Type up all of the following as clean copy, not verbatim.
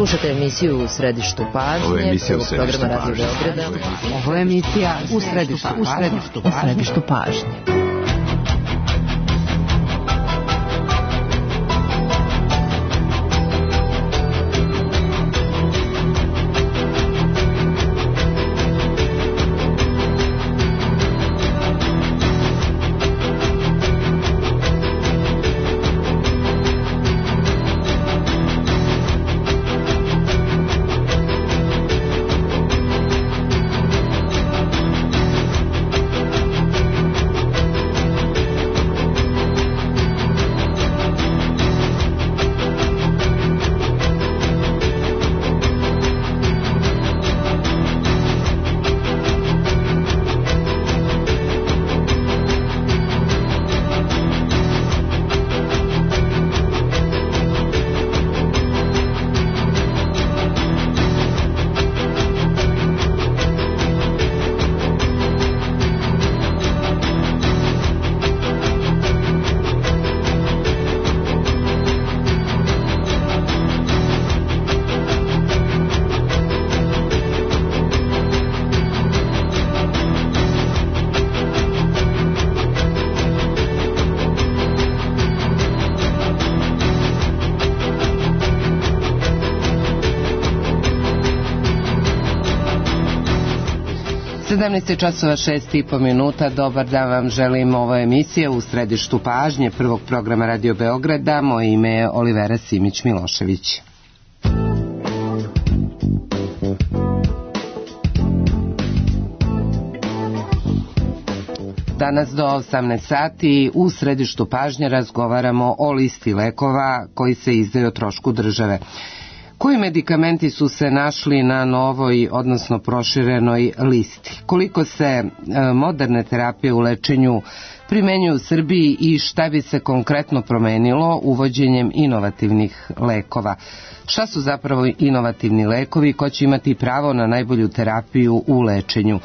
Slušate emisiju U središtu pažnje, prvog programa Radio Beograda. Ovo je emisija U središtu pažnje. Časova 6:30. Dobar dan vam želim, ovo je emisija U središtu pažnje prvog programa Radio Beograda. Moje ime je Olivera Simić-Milošević. Danas do 18 sati u središtu pažnje razgovaramo o listi lekova koji se izdaju o trošku države. Koji medikamenti su se našli na novoj, odnosno proširenoj listi? Koliko se moderne terapije u lečenju primenjuju u Srbiji i šta bi se konkretno promenilo uvođenjem inovativnih lekova? Šta su zapravo inovativni lekovi? Ko će imati pravo na najbolju terapiju u lečenju?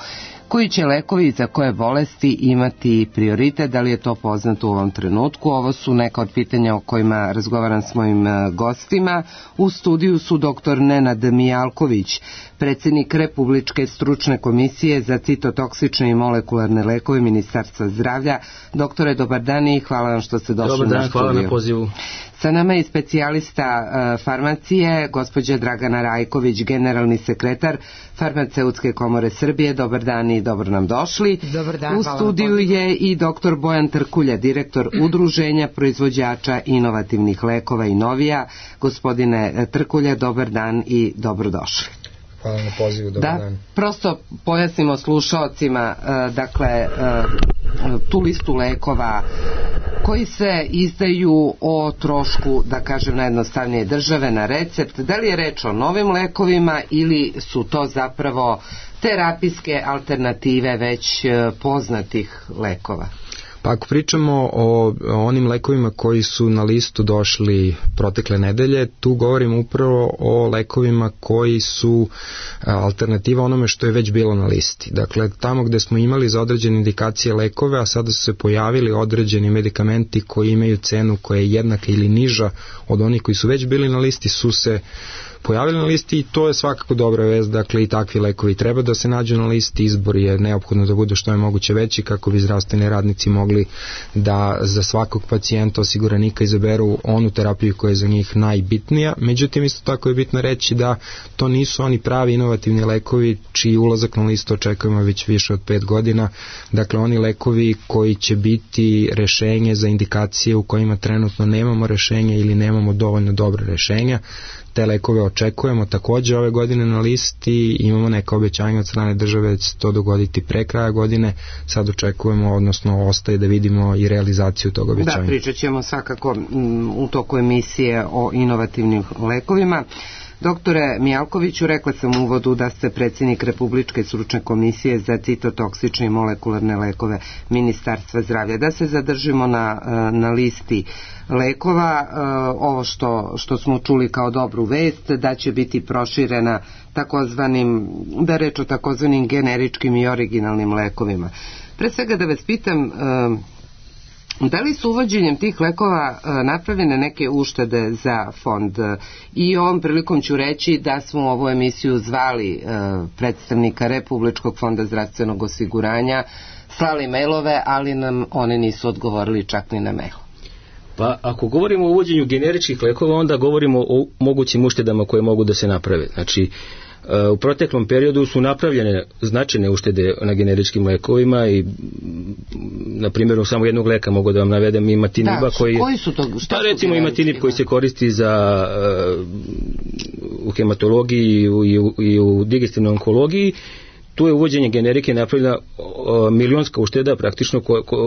Koji će lekovi za koje bolesti imati prioritet, da li je to poznato u ovom trenutku? Ovo su neka od pitanja o kojima razgovaram s mojim gostima. U studiju su dr. Nenad Mijalković, predsjednik Republičke stručne komisije za citotoksične i molekularne lekove Ministarstva zdravlja. Doktore, dobar dan i hvala vam što ste došli na studiju. Dobar dan, hvala na pozivu. Sa nama je specijalista farmacije, gospođa Dragana Rajković, generalni sekretar Farmaceutske komore Srbije. Dobar dan i dobro nam došli. Dobar dan, u studiju je i dr. Bojan Trkulja, direktor Udruženja proizvođača inovativnih lekova Inovija. Gospodine Trkulja, dobar dan i dobrodošli. Hvala na pozivu, dobar dan. Prosto pojasnimo slušaocima, tu listu lekova koji se izdaju o trošku, da kažem najjednostavnije, države na recept. Da li je reč o novim lekovima ili su to zapravo terapijske alternative već poznatih lekova? Pa ako pričamo o onim lekovima koji su na listu došli protekle nedelje, tu govorimo upravo o lekovima koji su alternativa onome što je već bilo na listi. Dakle, tamo gde smo imali za određene indikacije lekove, a sada su se pojavili određeni medikamenti koji imaju cenu koja je jednaka ili niža od onih koji su već bili na listi, su se pojavili na listi i to je svakako dobra vest. Dakle, i takvi lekovi treba da se nađu na listi. Izbor je neophodno da bude što je moguće veći kako bi zdravstveni radnici mogli da za svakog pacijenta osiguranika izaberu onu terapiju koja je za njih najbitnija. Međutim, isto tako je bitno reći da to nisu oni pravi inovativni lekovi čiji ulazak na listu očekujemo već više od 5 godina. Dakle, oni lekovi koji će biti rešenje za indikacije u kojima trenutno nemamo rešenja ili nemamo dovoljno dobre rešenja. Te lekove očekujemo takođe ove godine na listi, imamo neka obećanja od strane države da će to dogoditi pre kraja godine, sad očekujemo, odnosno ostaje da vidimo i realizaciju tog obećanja. Da, pričat ćemo svakako u toku emisije o inovativnim lekovima. Doktore Mijalkoviću, rekla sam u uvodu da ste predsjednik Republičke stručne komisije za citotoksične i molekularne lekove Ministarstva zdravlja. Da se zadržimo na listi lekova, ovo što smo čuli kao dobru vest, da će biti proširena takozvanim, da reč o takozvanim generičkim i originalnim lekovima. Pre svega da vas pitam, Da li su uvođenjem tih lekova napravljene neke uštede za fond? I ovom prilikom ću reći da smo u ovu emisiju zvali predstavnika Republičkog fonda zdravstvenog osiguranja, slali mailove, ali nam oni nisu odgovorili čak ni na mail. Pa ako govorimo o uvođenju generičkih lekova, onda govorimo o mogućim uštedama koje mogu da se naprave. Znači, u proteklom periodu su napravljene značajne uštede na generičkim lekovima i na primjeru samo jednog leka mogu da vam navedem imatiniba koji su to? Pa recimo imatinib koji se koristi za u hematologiji i u digestivnoj onkologiji. Tu je uvođenje generike napravljena milionska ušteda praktično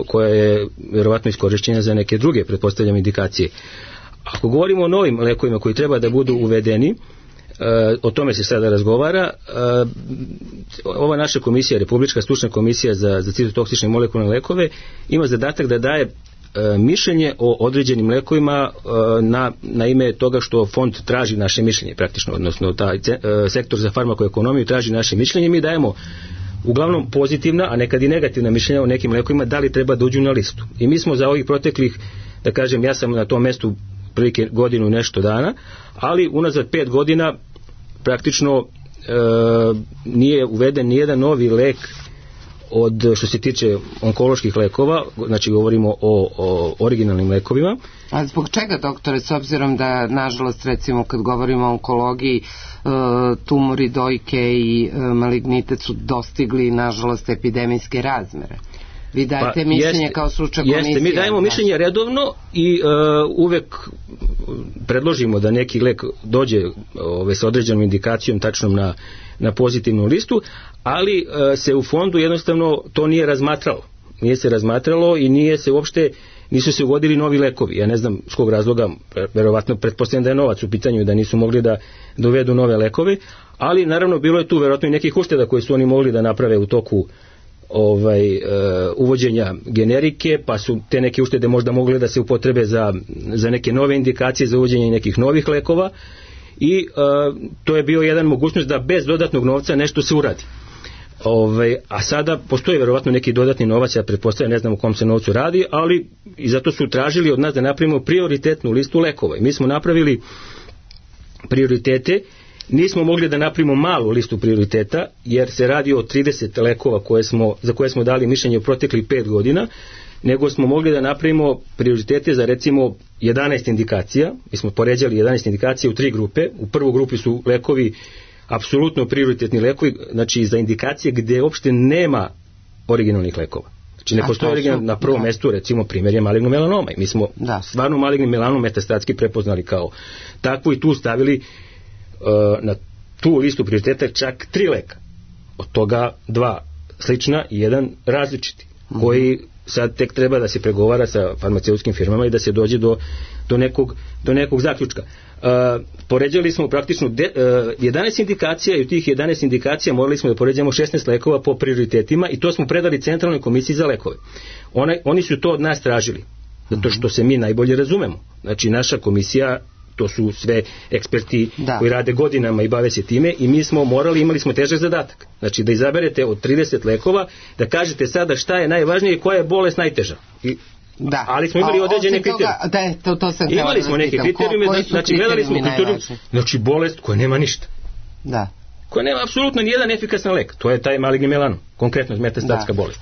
koja je vjerovatno iskorišćena za neke druge, pretpostavljam, indikacije. Ako govorimo o novim lekovima koji treba da budu uvedeni, o tome se sada razgovara. Ova naša komisija, Republička stručna komisija za citotoksične molekularne lekove, ima zadatak da daje mišljenje o određenim lekovima na ime toga što fond traži naše mišljenje praktično, odnosno taj sektor za farmakoekonomiju traži naše mišljenje. Mi dajemo uglavnom pozitivna, a nekad i negativna mišljenja o nekim lekovima da li treba da uđu na listu. I mi smo za ovih proteklih, da kažem, ja sam na tom mestu prilike godinu i nešto dana, ali unazad 5 godina praktično nije uveden nijedan novi lek od što se tiče onkoloških lekova, znači govorimo o originalnim lekovima. A zbog čega, doktore, s obzirom da, nažalost, recimo kad govorimo o onkologiji, tumori dojke i malignite su dostigli, nažalost, epidemijske razmere? Vi dajete mišljenje kao stručna komisija? Jeste, mi dajemo mišljenje redovno i uvek predložimo da neki lek dođe sa određenom indikacijom tačnom na pozitivnu listu, ali se u fondu jednostavno to nije razmatralo. Nije se razmatralo i nisu se uvodili novi lekovi. Ja ne znam s kog razloga, verovatno pretpostavljam da je novac u pitanju, da nisu mogli da dovedu nove lekove, ali naravno bilo je tu verovatno i nekih ušteda koje su oni mogli da naprave u toku uvođenja generike, pa su te neke uštede možda mogle da se upotrebe za neke nove indikacije, za uvođenje nekih novih lekova i to je bio jedan mogućnost da bez dodatnog novca nešto se uradi. A sada postoji verovatno neki dodatni novac, ja pretpostavljam, ne znam u kom se novcu radi, ali i zato su tražili od nas da napravimo prioritetnu listu lekova. I mi smo napravili prioritete. Nismo mogli da napravimo malu listu prioriteta, jer se radi o 30 lekova za koje smo dali mišljenje u proteklih 5 godina, nego smo mogli da napravimo prioritete za recimo 11 indikacija. Mi smo poređali 11 indikacija u 3 grupe. U prvu grupi su lekovi apsolutno prioritetni lekovi, znači za indikacije gdje uopšte nema originalnih lekova. Znači ne postoji original, na prvom mjestu recimo primjer je maligno melanoma. I mi smo stvarno maligni melanom metastatski prepoznali kao takvu i tu stavili na tu listu prioriteta čak 3 leka. Od toga 2 slična i 1 različiti, koji sad tek treba da se pregovara sa farmaceutskim firmama i da se dođe do nekog zaključka. Poređali smo praktično 11 indikacija i u tih 11 indikacija morali smo da poređamo 16 lekova po prioritetima i to smo predali Centralnoj komisiji za lekove. Oni su to od nas tražili, zato što se mi najbolje razumemo. Znači naša komisija, to su sve eksperti koji rade godinama i bave se time i mi smo imali smo težak zadatak. Znači da izaberete od 30 lekova, da kažete sada šta je najvažnije i koja je bolest najteža. Ali smo imali određene kriterijume. Imali smo neke kriterijume, znači gledali smo kriterijume, znači bolest koja nema ništa. Koja nema apsolutno nijedan efikasan lek. To je taj maligni melanom, konkretno metastatska bolest.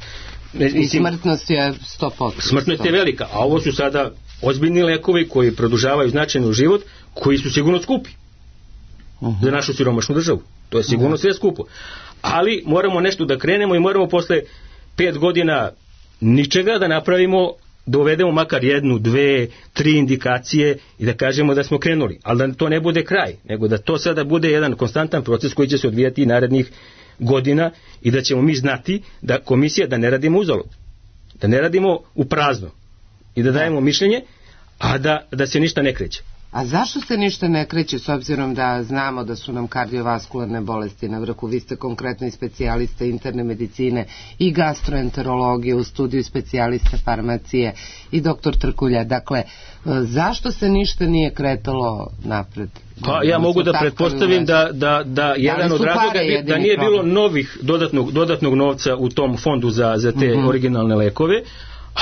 I smrtnost je 100%. Smrtnost je velika, a ovo su sada ozbiljni lekovi koji produžavaju značajno život, koji su sigurno skupi za našu siromašnu državu. To je sigurno sve skupo. Ali moramo nešto da krenemo i moramo posle 5 godina ničega da napravimo, da uvedemo makar 1, 2, 3 indikacije i da kažemo da smo krenuli. Ali da to ne bude kraj, nego da to sada bude jedan konstantan proces koji će se odvijati narednih godina i da ćemo mi znati da komisija, da ne radimo uzalud, da ne radimo u prazno i da dajemo mišljenje, a da se ništa ne kreće. A zašto se ništa ne kreće, s obzirom da znamo da su nam kardiovaskularne bolesti na vrhu? Vi ste konkretno i specijalista interne medicine i gastroenterologije, u studiju specijalista farmacije i doktor Trkulja. Dakle, zašto se ništa nije kretalo napred? Pa ja mogu da pretpostavim da jedan od razloga da nije bilo novih dodatnog novca u tom fondu za te originalne lekove,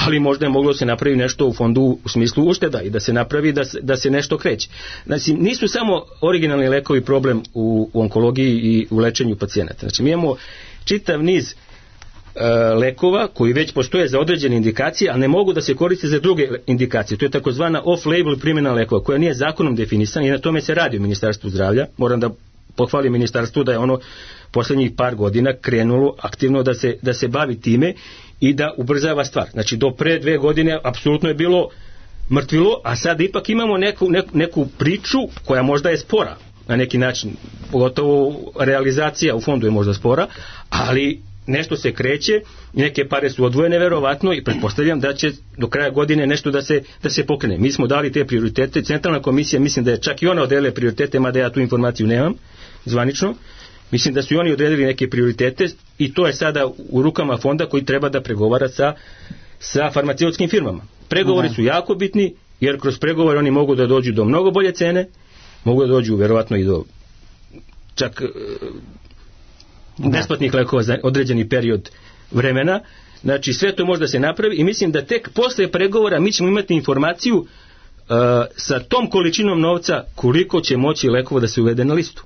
ali možda je moglo se napravi nešto u fondu u smislu ušteda i da se napravi da se nešto kreće. Znači, nisu samo originalni lekovi problem u onkologiji i u lečenju pacijenata. Znači, mi imamo čitav niz lekova koji već postoje za određene indikacije, a ne mogu da se koriste za druge indikacije. To je takozvana off-label primjena lekova, koja nije zakonom definisana i na tome se radi u Ministarstvu zdravlja. Moram da pohvalim ministarstvu da je ono poslednjih par godina krenulo aktivno da se bavi time i da ubrzava stvar. Znači, do pre 2 godine apsolutno je bilo mrtvilo, a sad ipak imamo neku priču koja možda je spora na neki način, pogotovo realizacija u fondu je možda spora, ali nešto se kreće, neke pare su odvojene verovatno i pretpostavljam da će do kraja godine nešto da se pokrene. Mi smo dali te prioritete, centralna komisija mislim da je čak i ona odredila prioritete, mada ja tu informaciju nemam zvanično, mislim da su i oni odredili neke prioritete i to je sada u rukama fonda koji treba da pregovara sa farmaceutskim firmama. Pregovori su jako bitni, jer kroz pregovore oni mogu da dođu do mnogo bolje cene, mogu da dođu verovatno i do čak besplatnih lekova za određeni period vremena. Znači, sve to može da se napravi i mislim da tek posle pregovora mi ćemo imati informaciju sa tom količinom novca koliko će moći lekova da se uvede na listu.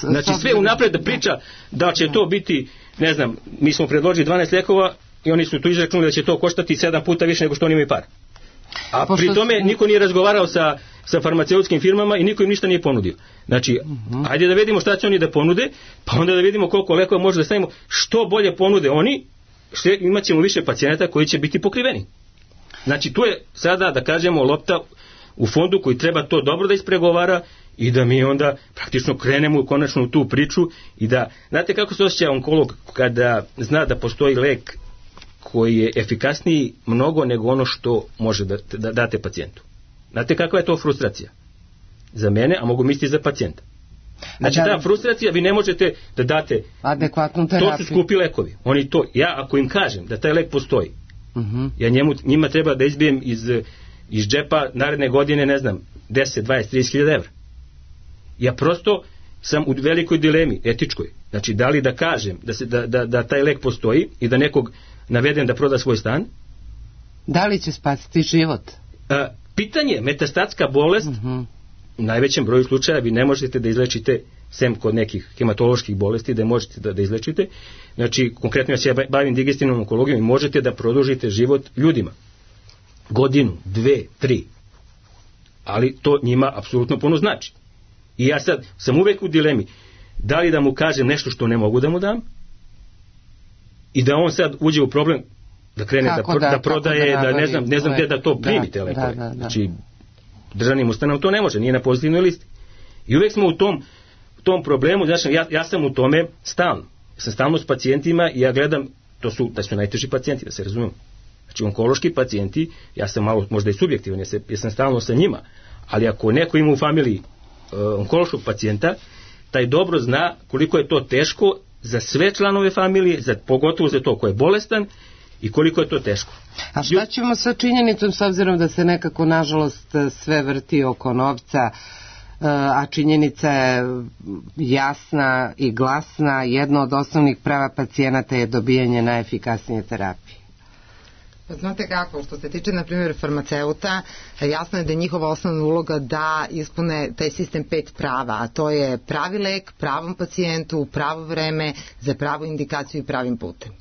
Znači, sve unapred da priča da će to biti, ne znam, mi smo predložili 12 lekova i oni su tu izračunali da će to koštati 7 puta više nego što oni imaju para. A pri tome niko nije razgovarao sa farmaceutskim firmama i niko im ništa nije ponudio. Znači, ajde da vidimo šta će oni da ponude, pa onda da vidimo koliko lekova može da stavimo. Što bolje ponude oni, imat ćemo više pacijenata koji će biti pokriveni. Znači, tu je sada, da kažemo, lopta u fondu koji treba to dobro da ispregovara i da mi onda praktično krenemo konačno u tu priču i da, znate kako se osjeća onkolog kada zna da postoji lek koji je efikasniji mnogo nego ono što može da date pacijentu. Znate kakva je to frustracija? Za mene, a mogu misliti za pacijenta. Znači, ta frustracija, vi ne možete da date adekvatnu terapiju. To su skupi lekovi. Oni to, ja ako im kažem da taj lek postoji, ja njima treba da izbijem iz džepa naredne godine, ne znam, 10, 20, 30.000 evra. Ja prosto sam u velikoj dilemi, etičkoj. Znači, da li da kažem da taj lek postoji i da nekog navedem da proda svoj stan? Da li će spasiti život? Pitanje, metastatska bolest, u najvećem broju slučaja vi ne možete da izlečite, sem kod nekih hematoloških bolesti, da možete da izlečite. Znači, konkretno ja se bavim digestivnom onkologijom i možete da produžite život ljudima. Godinu, 2, 3. Ali to njima apsolutno puno znači. I ja sad sam uvek u dilemi, da li da mu kažem nešto što ne mogu da mu dam i da on sad uđe u problem da krene da prodaje, da ne znam gde da to primi te lekove. Znači, državnim ustanovama to ne može, nije na pozitivnoj listi. I uvek smo u tom problemu, znači ja sam u tome stalno. Ja sam stalno s pacijentima i ja gledam, da su najteži pacijenti, da se razumemo. Znači, onkološki pacijenti, ja sam malo možda i subjektivan, ja sam stalno sa njima, ali ako neko ima u familiji onkološkog pacijenta, taj dobro zna koliko je to teško za sve članove familije, pogotovo za to ko je bolestan i koliko je to teško. A šta ćemo sa činjenicom, s obzirom da se nekako nažalost sve vrti oko novca, a činjenica je jasna i glasna, jedno od osnovnih prava pacijenata je dobijanje najefikasnije terapije? Znate kako, što se tiče, na primjer, farmaceuta, jasno je da je njihova osnovna uloga da ispune taj sistem 5 prava, a to je pravi lek, pravom pacijentu, pravo vreme, za pravu indikaciju i pravim putem.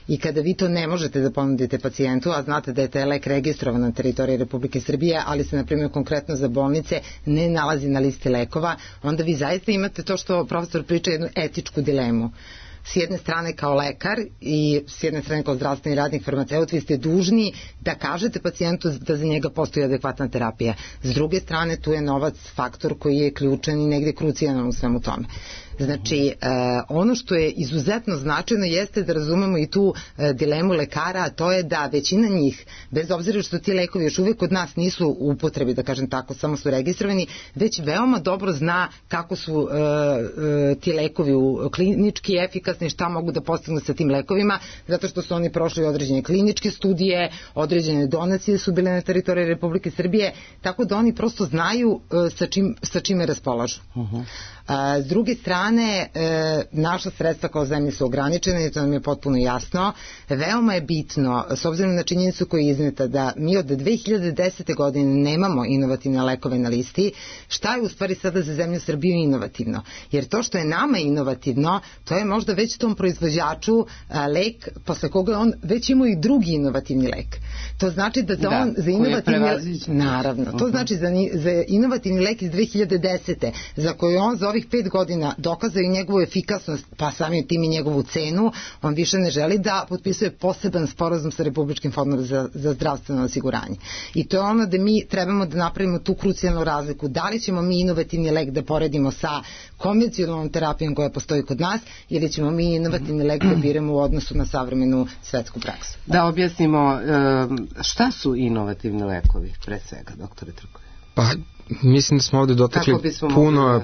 I kada vi to ne možete da ponudite pacijentu, a znate da je taj lek registrovan na teritoriji Republike Srbije, ali se, na primjer, konkretno za bolnice ne nalazi na listi lekova, onda vi zaista imate to što profesor priča, jednu etičku dilemu. S jedne strane kao lekar i s jedne strane kao zdravstveni radnik, farmaceut, vi ste dužni da kažete pacijentu da za njega postoji adekvatna terapija. S druge strane, tu je novac faktor koji je ključan i negde krucijalan u svemu tome. Znači, ono što je izuzetno značajno jeste da razumemo i tu dilemu lekara, a to je da većina njih, bez obzira što ti lekovi još uvijek kod nas nisu u upotrebi, da kažem tako, samo su registrovani, već veoma dobro zna kako su ti lekovi klinički efikasni, šta mogu da postignu sa tim lekovima, zato što su oni prošli određene kliničke studije, određene donacije su bile na teritoriji Republike Srbije, tako da oni prosto znaju sa čime raspolažu. S druge strane, strane, naša sredstva kao zemlje su ograničene i to nam je potpuno jasno. Veoma je bitno, s obzirom na činjenicu koja je izneta, da mi od 2010. godine nemamo inovativne lekove na listi. Šta je u stvari sada za zemlju Srbiju inovativno? Jer to što je nama inovativno, to je možda već tom proizvođaču lek posle koga on već imao i drugi inovativni lek. To znači da on za inovativni naravno, to znači za inovativni lek iz 2010. za koju on za ovih 5 godina dokazao i njegovu efikasnost, pa samim tim i njegovu cenu, on više ne želi da potpisuje poseban sporazum sa Republičkim fondom za zdravstveno osiguranje. I to je ono da mi trebamo da napravimo tu krucijalnu razliku. Da li ćemo mi inovativni lek da poredimo sa konvencionalnom terapijom koja postoji kod nas ili ćemo mi inovativni lek da biramo u odnosu na savremenu svetsku praksu. Da objasnimo šta su inovativni lekovi, pre svega, doktore Trković? Pa, mislim da smo ovde dotakli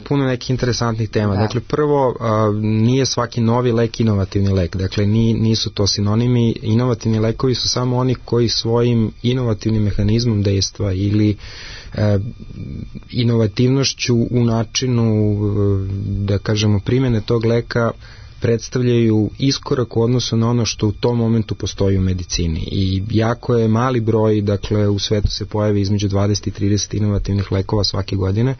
puno nekih interesantnih tema. Da. Dakle, prvo, nije svaki novi lek inovativni lek. Dakle, nisu to sinonimi. Inovativni lekovi su samo oni koji svojim inovativnim mehanizmom dejstva ili inovativnošću u načinu, da kažemo, primjene tog leka predstavljaju iskorak u odnosu na ono što u tom momentu postoji u medicini. I jako je mali broj, dakle u svetu se pojavi između 20 i 30 inovativnih lekova svake godine,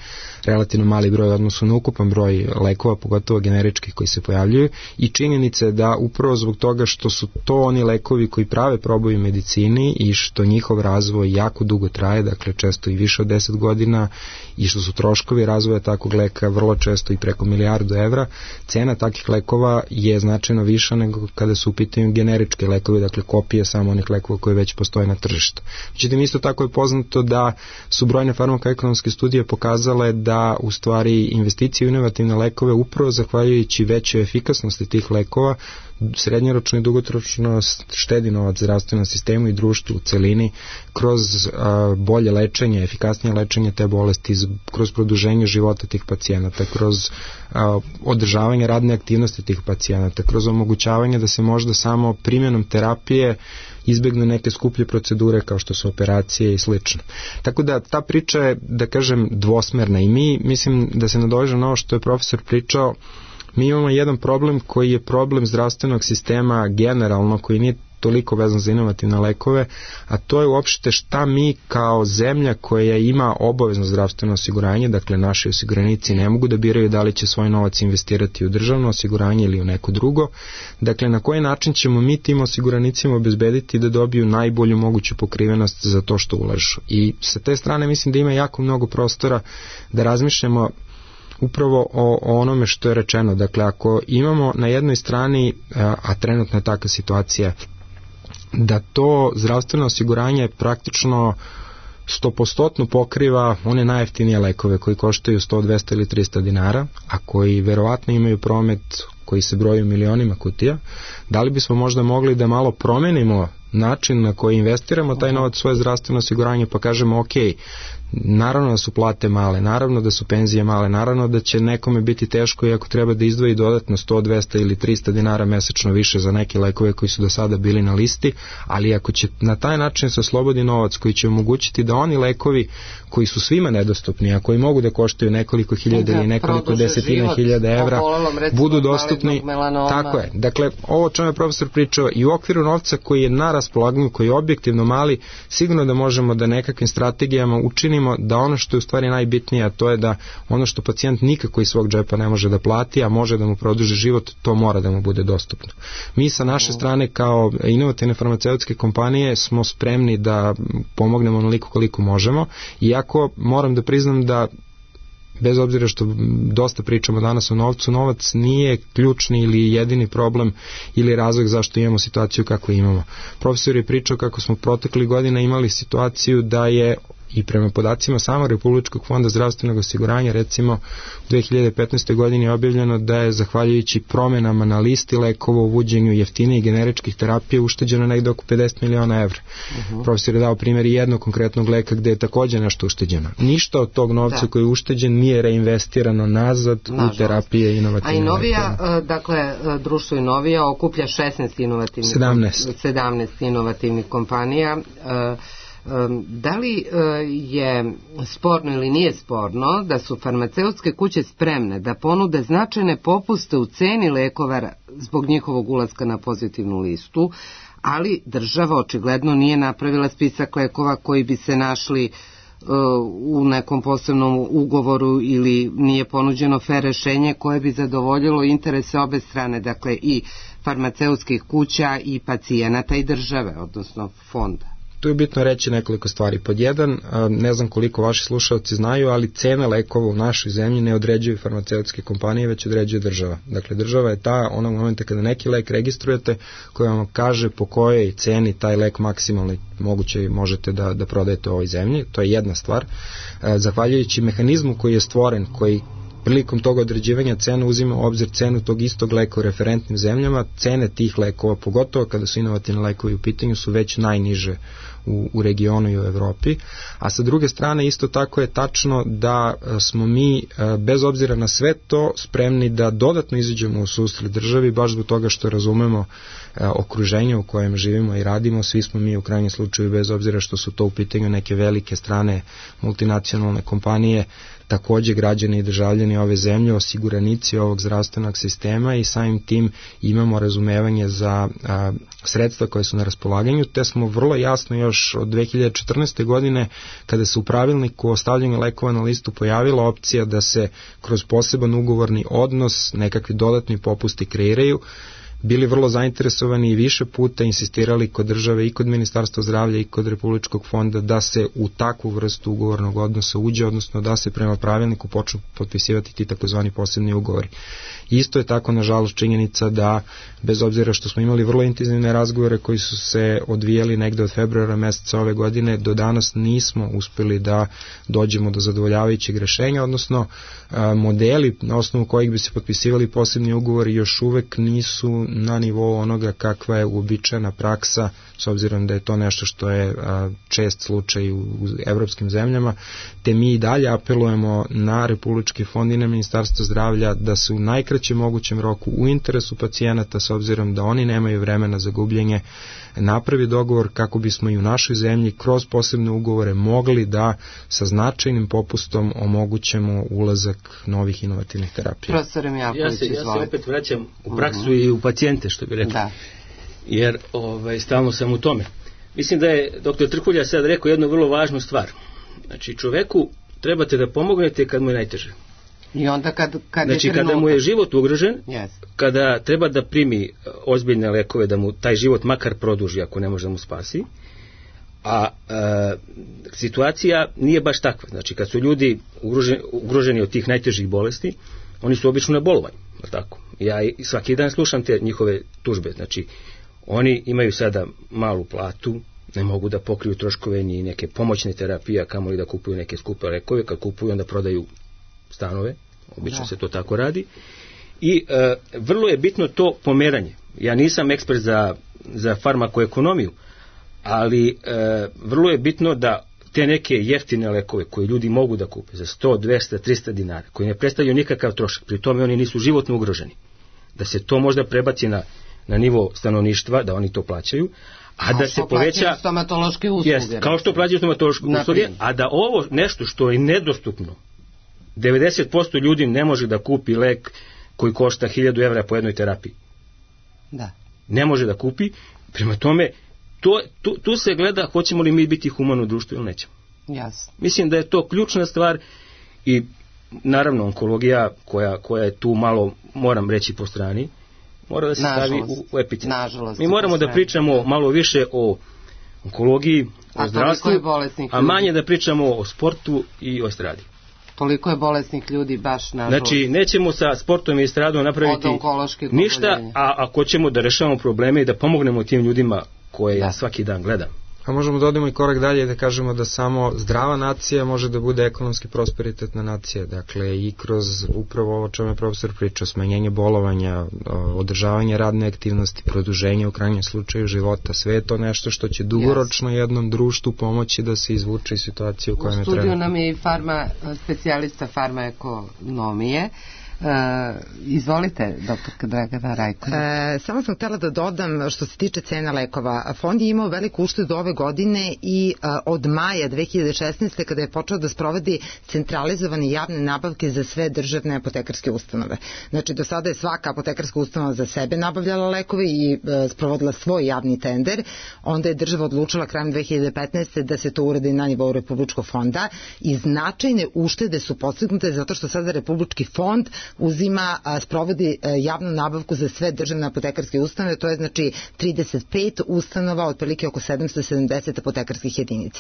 relativno mali broj u odnosu na ukupan broj lekova, pogotovo generičkih koji se pojavljuju, i činjenica je da upravo zbog toga što su to oni lekovi koji prave proboj u medicini i što njihov razvoj jako dugo traje, dakle često i više od 10 godina, i što su troškovi razvoja takvog leka vrlo često i preko €1.000.000, cena takvih lekova je značajno viša nego kada su u pitanju generičke lekovi, dakle kopije samo onih lekova koji već postoje na tržištu. Međutim, isto tako je poznato da su brojne farmakoekonomske studije pokazale da u stvari investicije u inovativne lekove upravo zahvaljujući većoj efikasnosti tih lekova srednjoročno i dugoročno štedi novac zdravstvenom sistemu i društvu u celini kroz bolje lečenje, efikasnije lečenje te bolesti, kroz produženje života tih pacijenata, kroz održavanje radne aktivnosti tih pacijenata, kroz omogućavanje da se možda samo primjenom terapije izbegnu neke skuplje procedure kao što su operacije i slično. Tako da ta priča je, da kažem, dvosmerna i mi, mislim da se nadovežem na ovo što je profesor pričao. Mi imamo jedan problem koji je problem zdravstvenog sistema generalno, koji nije toliko vezan za inovativne lekove, a to je uopšte šta mi kao zemlja koja ima obavezno zdravstveno osiguranje, dakle naši osiguranici ne mogu da biraju da li će svoj novac investirati u državno osiguranje ili u neko drugo, dakle na koji način ćemo mi tim osiguranicima obezbediti da dobiju najbolju moguću pokrivenost za to što ulažu. I sa te strane mislim da ima jako mnogo prostora da razmišljamo upravo o onome što je rečeno. Dakle, ako imamo na jednoj strani, a trenutno je takva situacija, da to zdravstveno osiguranje praktično 100% pokriva one najjeftinije lekove koji koštaju 100, 200 ili 300 dinara, a koji verovatno imaju promet koji se broji u milionima kutija, da li bismo možda mogli da malo promenimo način na koji investiramo taj novac u svoje zdravstveno osiguranje, pa kažemo ok, naravno da su plate male, naravno da su penzije male, naravno da će nekome biti teško i ako treba da izdvoji dodatno 100, 200 ili 300 dinara mesečno više za neke lekove koji su do sada bili na listi, ali ako će na taj način se oslobodi novac koji će omogućiti da oni lekovi koji su svima nedostupni, a koji mogu da koštaju nekoliko hiljada ili nekoliko desetina hiljada evra, budu dostupni. Tako je. Dakle, ovo o čemu je profesor pričao i u okviru novca koji je na raspolaganju, koji je objektivno mali, sigurno da možemo da nekakvim strategijama učinimo da ono što je u stvari najbitnije, a to je da ono što pacijent nikako iz svog džepa ne može da plati, a može da mu produži život, to mora da mu bude dostupno. Mi sa naše strane kao inovativne farmaceutske kompanije smo spremni da pomognemo onoliko koliko možemo, iako moram da priznam da bez obzira što dosta pričamo danas o novcu, novac nije ključni ili jedini problem ili razlog zašto imamo situaciju kako imamo. Profesor je pričao kako smo protekli godina imali situaciju da je i prema podacima samo Republičkog fonda zdravstvenog osiguranja, recimo u 2015. godini je objavljeno da je zahvaljujući promenama na listi lekova, uvođenju jeftinijih generičkih terapija ušteđeno negde oko 50 miliona evra. Profesor je dao primjer jednog konkretnog leka gde je takođe nešto ušteđeno. Ništa od tog novca koji je ušteđen nije reinvestirano nazad u terapije inovativne. A i Novija, dakle, društvo Novija okuplja 16 inovativnih 17 inovativnih kompanija. Da li je sporno ili nije sporno da su farmaceutske kuće spremne da ponude značajne popuste u ceni lekova zbog njihovog ulaska na pozitivnu listu, ali država očigledno nije napravila spisak lekova koji bi se našli u nekom posebnom ugovoru ili nije ponuđeno fer rešenje koje bi zadovoljilo interese obe strane, dakle i farmaceutskih kuća i pacijenata i države, odnosno fonda. Tu je bitno reći nekoliko stvari. Pod jedan, ne znam koliko vaši slušalci znaju, ali cena lekova u našoj zemlji ne određuju farmaceutske kompanije, već određuje država. Dakle, država je ta onog momenta kada neki lek registrujete koja vam kaže po kojoj ceni taj lek maksimalno moguće možete da prodajete u ovoj zemlji. To je jedna stvar. Zahvaljujući mehanizmu koji je stvoren, koji prilikom toga određivanja cena uzima u obzir cenu tog istog leka u referentnim zemljama, cene tih lekova, pogotovo kada su inovativni lekovi u pitanju, su već najniže u regionu i u Evropi. A sa druge strane isto tako je tačno da smo mi, bez obzira na sve to, spremni da dodatno izađemo u susret državi, baš zbog toga što razumemo okruženje u kojem živimo i radimo. Svi smo mi u krajnjem slučaju, bez obzira što su to u pitanju neke velike strane multinacionalne kompanije, takođe građani i državljani ove zemlje, osiguranici ovog zdravstvenog sistema i samim tim imamo razumevanje za sredstva koje su na raspolaganju, te smo vrlo jasno još od 2014. godine, kada se u pravilniku o stavljanju lekova na listu pojavila opcija da se kroz poseban ugovorni odnos nekakvi dodatni popusti kreiraju, bili vrlo zainteresovani i više puta insistirali kod države i kod Ministarstva zdravlja i kod Republičkog fonda da se u takvu vrstu ugovornog odnosa uđe, odnosno da se prema pravilniku počnu potpisivati ti takozvani posebni ugovori. Isto je tako, nažalost, činjenica da, bez obzira što smo imali vrlo intenzivne razgovore koji su se odvijali negde od februara meseca ove godine, do danas nismo uspeli da dođemo do zadovoljavajućeg rešenja, odnosno modeli na osnovu kojih bi se potpisivali posebni ugovori još uvek nisu na nivou onoga kakva je uobičajena praksa, s obzirom da je to nešto što je čest slučaj u evropskim zemljama, te mi i dalje apelujemo na Republički fond i na Ministarstvo zdravlja da se u najkraćem mogućem roku u interesu pacijenata, s obzirom da oni nemaju vremena za gubljenje, napravi dogovor kako bismo i u našoj zemlji kroz posebne ugovore mogli da sa značajnim popustom omogućemo ulazak novih inovativnih terapija. Profesor Mijalković, ja se opet vraćam u praksu i u pacijente, što bi rekli. Da. Jer stalno sam u tome. Mislim da je dr. Trkulja sad rekao jednu vrlo važnu stvar. Znači, čoveku trebate da pomognete kad mu je najteže. I onda kad znači, kada mu je život ugrožen, kada treba da primi ozbiljne lekove, da mu taj život makar produži ako ne može da mu spasi, a situacija nije baš takva. Znači, kad su ljudi ugroženi od tih najtežih bolesti, oni su obično na bolovanju. Tako. Ja svaki dan slušam te njihove tužbe. Znači, oni imaju sada malu platu, ne mogu da pokriju troškove ni neke pomoćne terapije, a kamoli da kupuju neke skupe lekove. Kad kupuju, onda prodaju stanove. Obično se to tako radi. I vrlo je bitno to pomeranje. Ja nisam ekspert za farmakoekonomiju, ali vrlo je bitno da te neke jeftine lekove koje ljudi mogu da kupe za 100, 200, 300 dinara, koji ne predstavljaju nikakav trošak, pri tome oni nisu životno ugroženi, da se to možda prebaci na nivo stanovništva, da oni to plaćaju, a da se poveća stomatološke usluge. Kao što plaćaju stomatološke usluge, a da ovo nešto što je nedostupno, 90% ljudi ne može da kupi lek koji košta 1000 evra po jednoj terapiji. Da. Ne može da kupi, prema tome tu se gleda hoćemo li mi biti humano društvo ili nećemo. Jasno. Mislim da je to ključna stvar i naravno onkologija koja je tu malo, moram reći, po strani, mora da se stavi u epicentar. Mi moramo da pričamo malo više o onkologiji, o zdravstvu, a manje da pričamo o sportu i o estradi. Toliko je bolesnih ljudi baš nažalost. Znači, nećemo sa sportom i estradom napraviti ništa, a ako ćemo da rešavamo probleme i da pomognemo tim ljudima koje ja svaki dan gledam. A možemo da odemo i korak dalje i da kažemo da samo zdrava nacija može da bude ekonomski prosperitetna nacija. Dakle, i kroz upravo ovo čemu je profesor pričao, smanjenje bolovanja, održavanje radne aktivnosti, produženje u krajnjem slučaju života, sve je to nešto što će dugoročno jednom društvu pomoći da se izvuče iz situacije u kojoj je trenutno. U studiju nam je i specijalista farmaekonomije. Izvolite, doktorka Dragana Rajković. Samo sam htjela da dodam što se tiče cena lekova. Fond je imao veliku uštedu ove godine i od maja 2016. kada je počeo da sprovodi centralizovane javne nabavke za sve državne apotekarske ustanove. Znači, do sada je svaka apotekarska ustanova za sebe nabavljala lekove i sprovodila svoj javni tender. Onda je država odlučila krajem 2015. da se to uradi na nivou Republičkog fonda i značajne uštede su postignute zato što sada Republički fond sprovodi javnu nabavku za sve državne apotekarske ustanove, to je znači 35 ustanova, otprilike oko 770 apotekarskih jedinica.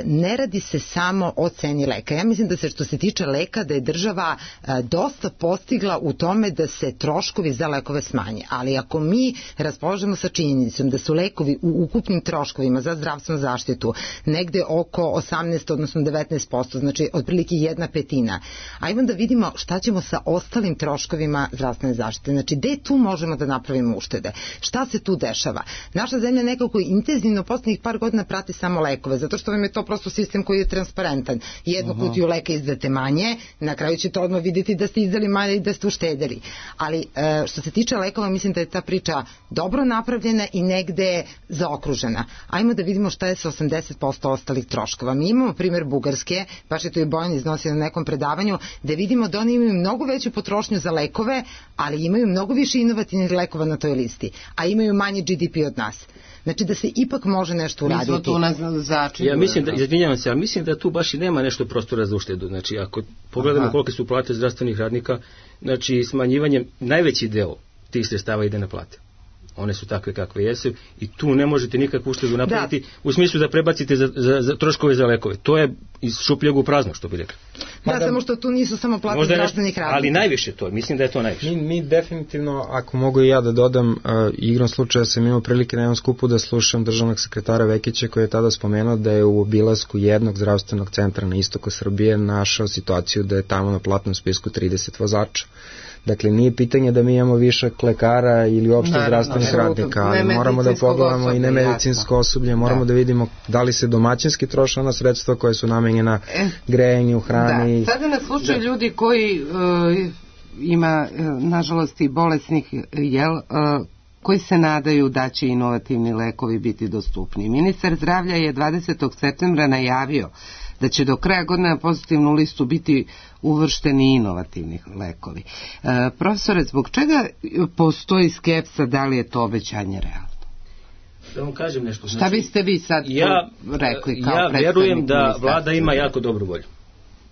Ne radi se samo o ceni leka. Ja mislim da se što se tiče leka da je država dosta postigla u tome da se troškovi za lekove smanje, ali ako mi raspolažemo sa činjenicom da su lekovi u ukupnim troškovima za zdravstvenu zaštitu negde oko 18, odnosno 19%, znači otprilike 1/5, ajmo da vidimo šta ćemo sa ostalim troškovima zdravstvene zaštite. Znači, gde tu možemo da napravimo uštede? Šta se tu dešava? Naša zemlja nekako intenzivno poslednjih par godina prati samo lekove, zato što vam je to prosto sistem koji je transparentan. Jednu kutiju leka izdate manje, na kraju ćete odmah vidjeti da ste izdali manje i da ste uštedeli. Ali što se tiče lekova, mislim da je ta priča dobro napravljena i negde zaokružena. Ajmo da vidimo šta je sa 80% ostalih troškova. Mi imamo primjer Bugarske, baš je to i Bojan iznosio na nekom predavanju, da vidimo da oni imaju mnogo veću potrošnju za lekove, ali imaju mnogo više inovativnih lekova na toj listi, a imaju manje GDP od nas. Znači da se ipak može nešto uraditi. Mi smo tu na začinu. Ja mislim da, izvinjavam se, ali mislim da tu baš i nema nešto prostora za uštedu. Znači, ako pogledamo kolike su plate zdravstvenih radnika, znači smanjivanjem, najveći deo tih sredstava ide na plate. One su takve kakve jesu i tu ne možete nikakvu uštedu napraviti u smislu da prebacite za troškove za lekove. To je iz šupljeg u prazno, što bi rekli. Samo što tu nisu samo plate zdravstvenih radnika. Ali najviše to, mislim da je to najviše. Mi definitivno, ako mogu i ja da dodam, igrom slučaja sam imao prilike na jednom skupu da slušam državnog sekretara Vekića koji je tada spomenuo da je u obilasku jednog zdravstvenog centra na istoku Srbije našao situaciju da je tamo na platnom spisku 30 vozača. Dakle, nije pitanje da mi imamo višak lekara ili uopšte zdravstvenih radnika, ali moramo da pogledamo i nemedicinsko osoblje, moramo da vidimo da li se domaćinski troše ona sredstva koje su namenjena grejanju, hrani. Sada nas slučaju ljudi koji ima, nažalost, i bolesnih, koji se nadaju da će inovativni lekovi biti dostupni. Ministar zdravlja je 20. septembra najavio da će do kraja godine na pozitivnu listu biti uvršteni inovativni lekovi. Profesore, zbog čega postoji skepsa da li je to obećanje realno? Da vam kažem nešto. Šta biste vi sad rekli kao predstavnik? Ja verujem da vlada ima jako dobru volju.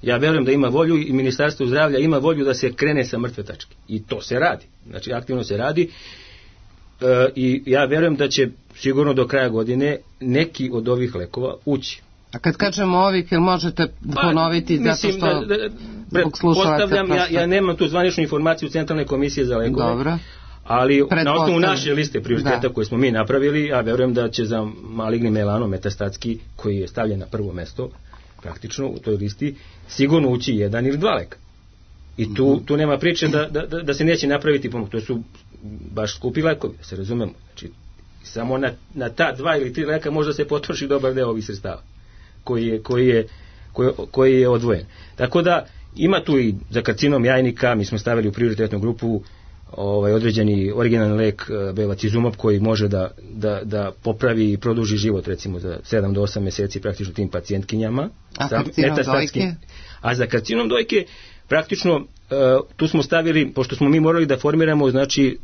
Ja verujem da ima volju i Ministarstvo zdravlja ima volju da se krene sa mrtve tačke. I to se radi. Znači, aktivno se radi. I ja verujem da će sigurno do kraja godine neki od ovih lekova ući. A kad kažemo ovih, jel možete ponoviti zato što zbog slušalaca... Ja nemam tu zvaničnu informaciju Centralne komisije za lekove. Dobro. Ali na osnovu naše liste prioriteta koje smo mi napravili, ja verujem da će za maligni melanom metastatski, koji je stavljen na prvo mesto, praktično u toj listi, sigurno ući 1 ili 2 leka. I tu nema priče da se neće napraviti pomoć. To su baš skupi lekovi, da se razumemo. Znači, samo na ta 2 ili 3 leka možda se potroši dobar deo ovih sredstava koji je odvojen. Tako da ima tu i za karcinom jajnika, mi smo stavili u prioritetnu grupu određeni originalni lek bevacizumab koji može da popravi i produži život recimo za 7 do 8 meseci praktično tim pacijentkinjama. A karcinom dojke? A za karcinom dojke praktično tu smo stavili, pošto smo mi morali da formiramo znači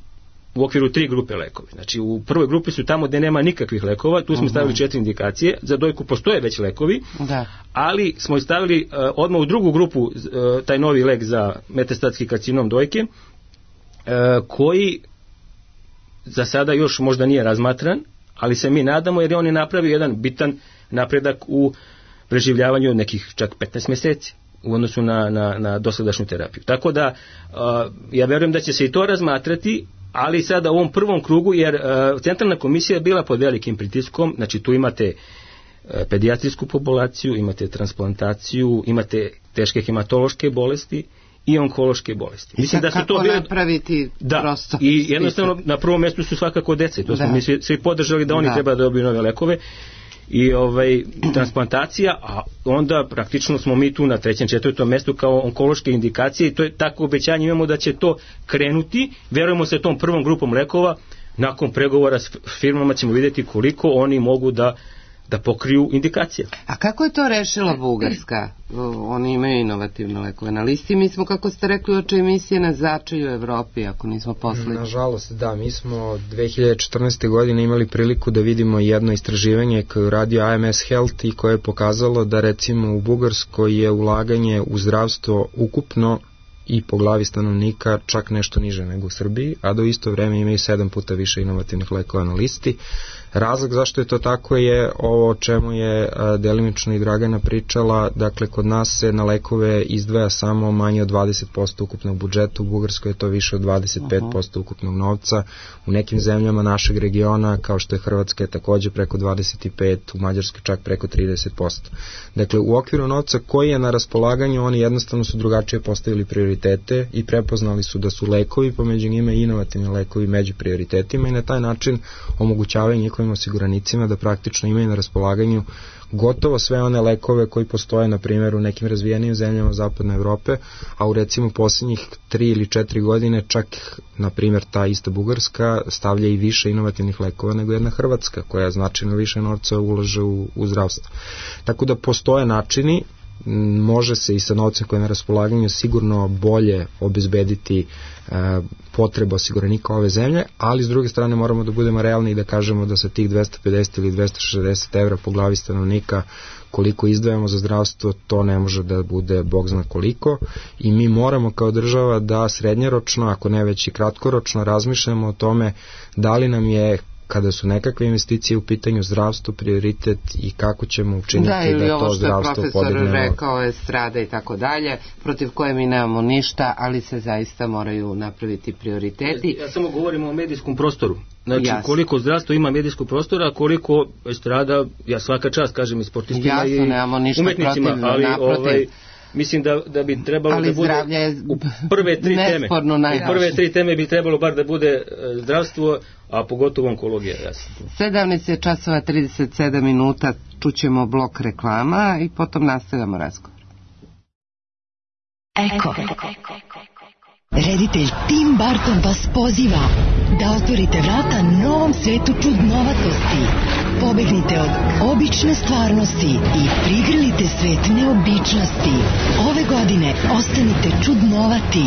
u okviru 3 grupe lekova. Znači u prvoj grupi su tamo gde nema nikakvih lekova, tu smo stavili 4 indikacije, za dojku postoje već lekovi, ali smo stavili odmah u drugu grupu taj novi lek za metastatski karcinom dojke, koji za sada još možda nije razmatran, ali se mi nadamo jer on je napravio jedan bitan napredak u preživljavanju od nekih čak 15 meseci u odnosu na dosadašnju terapiju. Tako da ja verujem da će se i to razmatrati, ali sada u ovom prvom krugu, jer Centralna komisija je bila pod velikim pritiskom, znači tu imate pedijatrijsku populaciju, imate transplantaciju, imate teške hematološke bolesti i onkološke bolesti. Mislim da su to bile napraviti prosto. I jednostavno na prvom mjestu su svakako deca. To smo mi svi podržali da oni treba da dobiju nove lekove. i transplantacija, a onda praktično smo mi tu na 3. 4. mestu kao onkološke indikacije i to je tako obećanje imamo da će to krenuti, verujemo se tom prvom grupom lekova, nakon pregovora s firmama ćemo vidjeti koliko oni mogu da pokriju indikacije. A kako je to rešila Bugarska? Oni imaju inovativne lekove na listi. Mi smo, kako ste rekli, oče emisije na začelju Evropi, ako nismo poslednji. Nažalost, da. Mi smo 2014. godine imali priliku da vidimo jedno istraživanje koje je uradio AMS Health i koje je pokazalo da recimo u Bugarskoj je ulaganje u zdravstvo ukupno i po glavi stanovnika čak nešto niže nego u Srbiji, a do isto vreme imaju 7 puta više inovativnih lekova na listi. Razlog zašto je to tako je ovo o čemu je delimično i Dragana pričala, dakle kod nas se na lekove izdvaja samo manje od 20% ukupnog budžeta, u Bugarskoj je to više od 25% ukupnog novca, u nekim zemljama našeg regiona kao što je Hrvatska je takođe preko 25%, u Mađarskoj čak preko 30%. Dakle u okviru novca koji je na raspolaganju oni jednostavno su drugačije postavili prioritete i prepoznali su da su lekovi pomeđu njima i inovativni lekovi među prioritetima i na taj način omogućavaju njihovim osiguranicima da praktično imaju na raspolaganju gotovo sve one lekove koji postoje na primjer u nekim razvijenim zemljama zapadne Evrope, a u recimo posljednjih 3 ili 4 godine čak na primjer ta ista Bugarska stavlja i više inovativnih lekova nego jedna Hrvatska koja značajno više novca ulaže u zdravstvo. Tako da postoje načini, može se i sa novcem koje je na raspolaganju sigurno bolje obezbediti potreba osiguranika ove zemlje, ali s druge strane moramo da budemo realni i da kažemo da sa tih 250 ili 260 evra po glavi stanovnika koliko izdvajamo za zdravstvo, to ne može da bude bog zna koliko i mi moramo kao država da srednjoročno, ako ne već i kratkoročno razmišljamo o tome da li nam je kada su nekakve investicije u pitanju zdravstvo, prioritet i kako ćemo učiniti da to zdravstvo podignemo. Da, ili ovo što je profesor rekao je strada i tako dalje, protiv koje mi nemamo ništa, ali se zaista moraju napraviti prioriteti. Ja samo govorim o medijskom prostoru. Znači, koliko zdravstvo ima medijskog prostora, koliko strada, ja svaka čast kažem i sportistima i umetnicima, ali mislim da bi trebalo da bude u prve 3 teme. U prve 3 teme bi trebalo bar da bude zdravstvo, a pogotovo onkologija. 17:37, čućemo blok reklama i potom nastavljamo razgovor. Eko. Reditelj Tim Burton vas poziva da otvorite vrata novom svetu čudnovatosti. Pobegnite od obične stvarnosti i prigrlite svet neobičnosti. Ove godine ostanite čudnovati.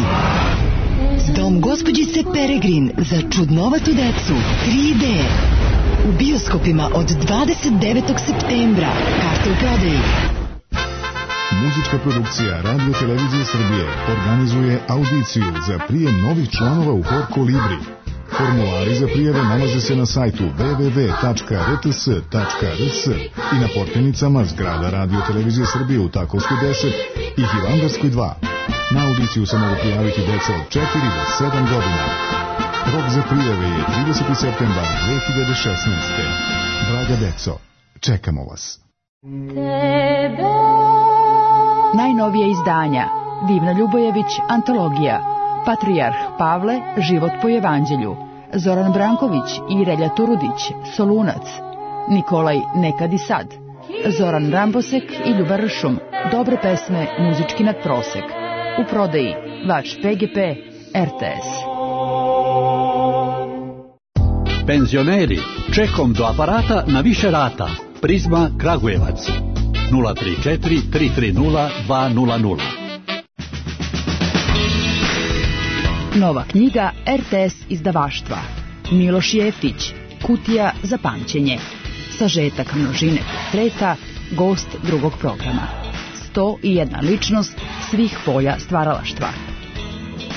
Dom gospođice Peregrin za čudnovatu decu 3D. U bioskopima od 29. septembra. Karte u prodaji. Muzička produkcija Radio Televizije Srbije organizuje audiciju za prijem novih članova u Hor Kolibri. Formulari za prijave nalaze se na sajtu www.rts.rs i na portenicama zgrada Radio Televizije Srbije u Takovskoj 10 i Hilandarskoj 2. Na audiciju se mogu prijaviti deca od 4 do 7 godina. Rok za prijave je 30. septembar 2016. Draga deco, čekamo vas. Najnovije izdanja Divna Ljubojević, antologija, Patrijarh Pavle, život po evanđelju, Zoran Branković i Relja Turudić, Solunac, Nikolaj Nekad i sad, Zoran Rambosek i Ljubar Ršum, dobre pesme, muzički nadprosek. U prodaji vaš PGP RTS. Penzioneri, čekom do aparata na više rata. Prizma Kragujevac 034 330 200. Nova knjiga RTS izdavaštva. Miloš Jeftić, Kutija za pamćenje. Sažetak množine portreta, gost drugog programa. 101 ličnost svih polja stvaralaštva.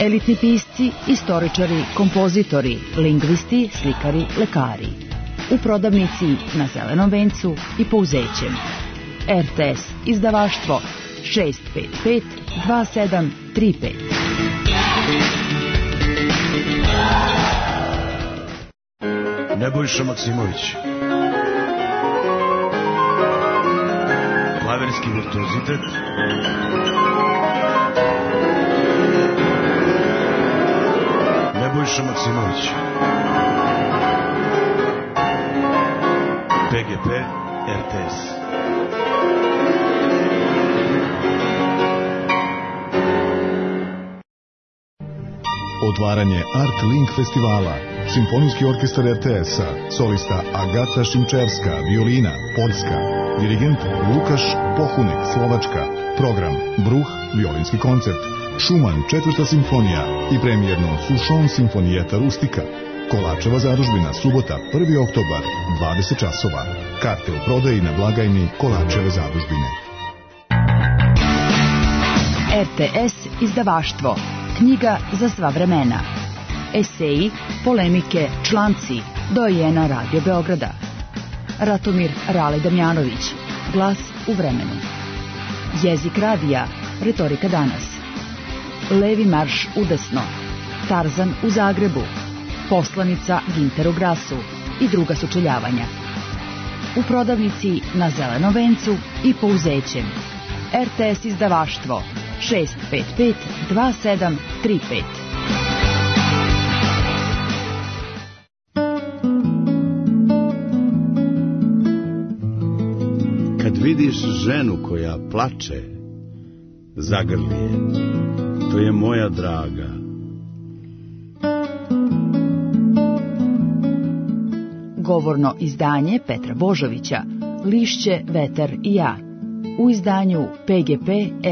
Elitni pisci, istoričari, kompozitori, lingvisti, slikari, lekari. U prodavnici na Zelenom vencu i Pouzećem. RTS izdavaštvo 655 2735. Nebojša Maksimović. Klaverski virtuozitet. Nebojša Maksimović. PGP RTS. Otvaranje Art Link festivala. Simfonijski orkestar RTS-a, solista Agata Šimčerska, violina, Poljska, dirigent Lukaš Pohunek, Slovačka, program Bruh, violinski koncert, Šuman, 4. simfonija i premijerno Sušon simfonijeta Rustika. Kolačeva zadužbina, subota, 1. oktobar, 20 časova. Karte u prodaji na blagajni Kolačeve zadužbine. RTS izdavaštvo. Knjiga za sva vremena. Eseji, polemike, članci, dojena Radio Beograda. Ratomir Rale Damjanović, Glas u vremenu. Jezik radija, Retorika danas. Levi marš udesno, Tarzan u Zagrebu, Poslanica Ginteru Grasu i druga sučeljavanja. U prodavnici na Zelenom vencu i Pouzećem. RTS izdavaštvo 655 2735. Kad vidiš ženu koja plače, zagrli je. To je moja draga. Govorno izdanje Petra Božovića, Lišće, vetar i ja. U izdanju PGP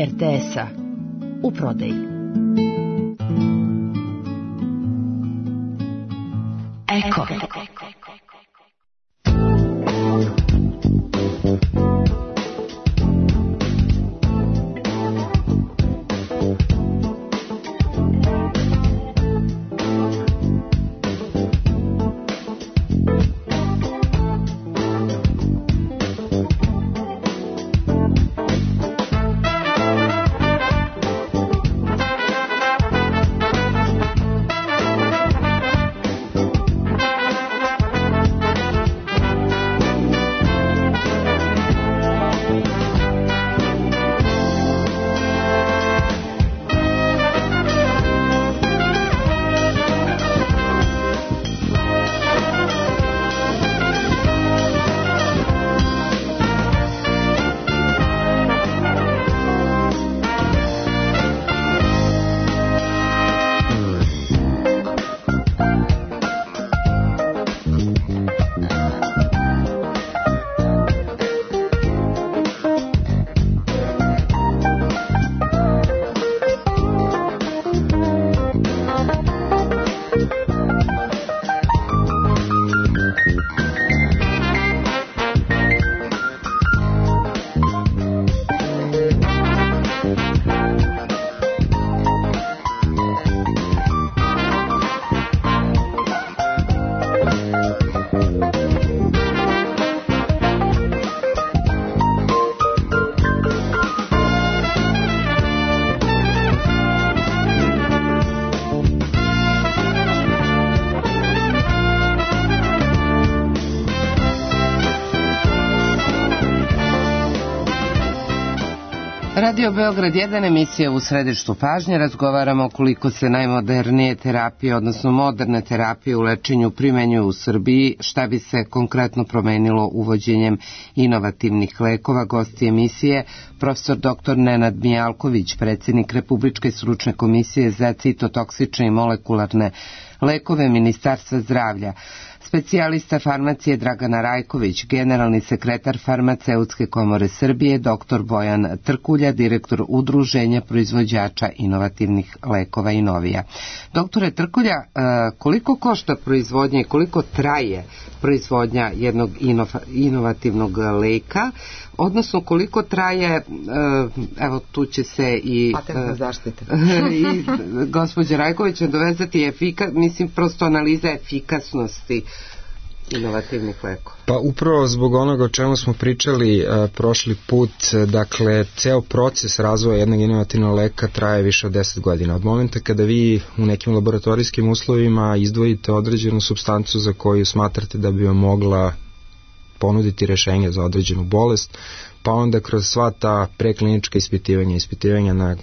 RTS-a. U prodaji. Eko. Radio Beograd 1, emisija u središtu pažnje. Razgovaramo koliko se najmodernije terapije, odnosno moderne terapije u lečenju primenjuju u Srbiji, šta bi se konkretno promenilo uvođenjem inovativnih lekova. Gosti emisije, profesor dr. Nenad Mijalković, predsjednik Republičke stručne komisije za citotoksične i molekularne lekove Ministarstva zdravlja, specijalista farmacije Dragana Rajković, generalni sekretar Farmaceutske komore Srbije, dr. Bojan Trkulja, direktor Udruženja proizvođača inovativnih lekova Inovija. Doktore Trkulja, koliko košta proizvodnja i koliko traje proizvodnja jednog inovativnog leka, odnosno koliko traje, evo tu će se i patentna zaštita i gospođa Rajković dovezati mislim prosto analiza efikasnosti inovativnih lekova. Pa upravo zbog onoga o čemu smo pričali prošli put, dakle ceo proces razvoja jednog inovativnog leka traje više od 10 godina. Od momenta kada vi u nekim laboratorijskim uslovima izdvojite određenu supstancu za koju smatrate da bi vam mogla ponuditi rešenje za određenu bolest, pa onda kroz sva ta preklinička ispitivanja na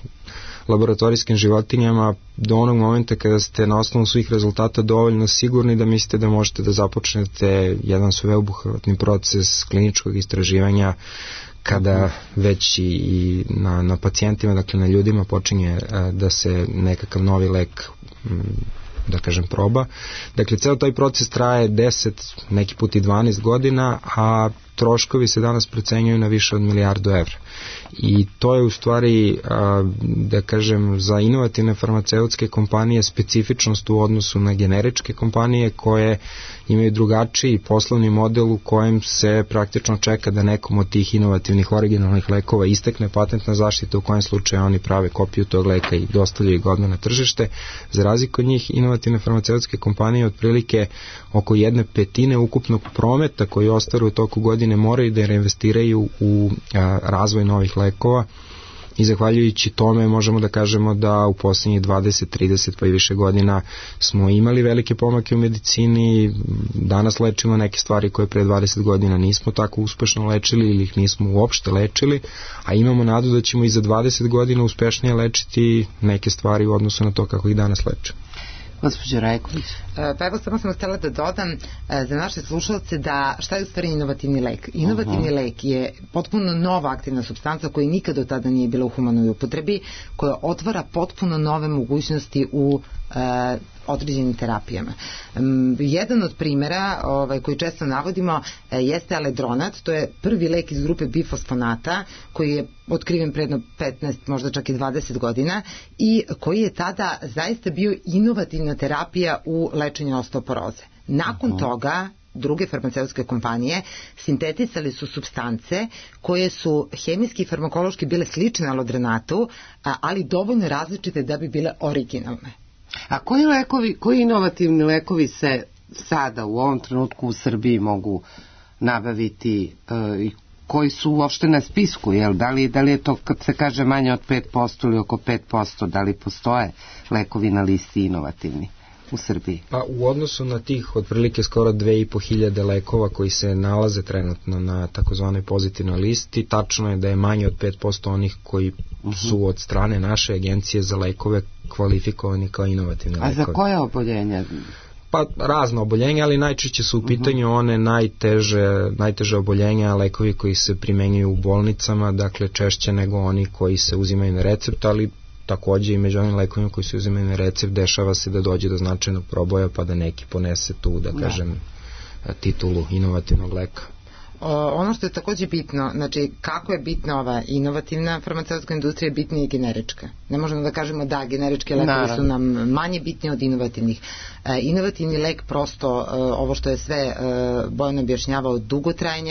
laboratorijskim životinjama do onog momenta kada ste na osnovu svih rezultata dovoljno sigurni da mislite da možete da započnete jedan sveobuhvatni proces kliničkog istraživanja kada već i na pacijentima, dakle na ljudima počinje da se nekakav novi lek da kažem proba. Dakle, ceo taj proces traje 10, neki put i 12 godina, a troškovi se danas procenjuju na više od $1.000.000.000. I to je u stvari, da kažem, za inovativne farmaceutske kompanije specifičnost u odnosu na generičke kompanije koje imaju drugačiji poslovni model u kojem se praktično čeka da nekom od tih inovativnih originalnih lekova istekne patentna zaštita, u kojem slučaju oni prave kopiju tog leka i dostavljaju ga odmah na tržište. Za razliku od njih, inovativne farmaceutske kompanije otprilike oko 1/5 ukupnog prometa koji ostvaruju u toku godine moraju da reinvestiraju u razvoj novih lekova i zahvaljujući tome možemo da kažemo da u poslednjih 20, 30 pa i više godina smo imali velike pomake u medicini. Danas lečimo neke stvari koje pre 20 godina nismo tako uspešno lečili ili ih nismo uopšte lečili, a imamo nadu da ćemo i za 20 godina uspešnije lečiti neke stvari u odnosu na to kako ih danas lečimo. Gospođo Rajković. Pa evo, samo sam htjela da dodam za naše slušalce da šta je u stvari inovativni lek. Inovativni lek je potpuno nova aktivna supstanca koja nikad do tada nije bila u humanoj upotrebi, koja otvara potpuno nove mogućnosti u određenim terapijama. Jedan od primjera koji često navodimo jeste aledronat, to je prvi lek iz grupe bifosfonata koji je otkriven predno 15, možda čak i 20 godina i koji je tada zaista bio inovativna terapija u lečenju osteoporoze. Nakon toga druge farmaceutske kompanije sintetisali su supstance koje su hemijski i farmakološki bile slične alodronatu, ali dovoljno različite da bi bile originalne. A koji inovativni lekovi se sada u ovom trenutku u Srbiji mogu nabaviti i koji su uopšte na spisku, jel? Da li je to kad se kaže manje od 5% ili oko 5%, da li postoje lekovi na listi inovativni u Srbiji? Pa u odnosu na tih otprilike skoro 2.500 lekova koji se nalaze trenutno na takozvanoj pozitivnoj listi, tačno je da je manje od 5% onih koji su od strane naše agencije za lekove kvalifikovani kao inovativni lekovi. A za koje oboljenja? Pa razno oboljenja, ali najčešće su u pitanju one najteže oboljenja, lekovi koji se primenjuju u bolnicama, dakle češće nego oni koji se uzimaju na recept, ali takođe i među onim lekovima koji se uzimaju na recept dešava se da dođe do značajnog proboja pa da neki ponese tu, da kažem, titulu inovativnog leka. Ono što je takođe bitno, znači kako je bitna ova inovativna farmaceutska industrija, bitna i generička. Ne možemo da kažemo da generičke lekovi su nam manje bitni od inovativnih. Inovativni lek prosto, ovo što je sve Bojan objašnjavao, dugo traje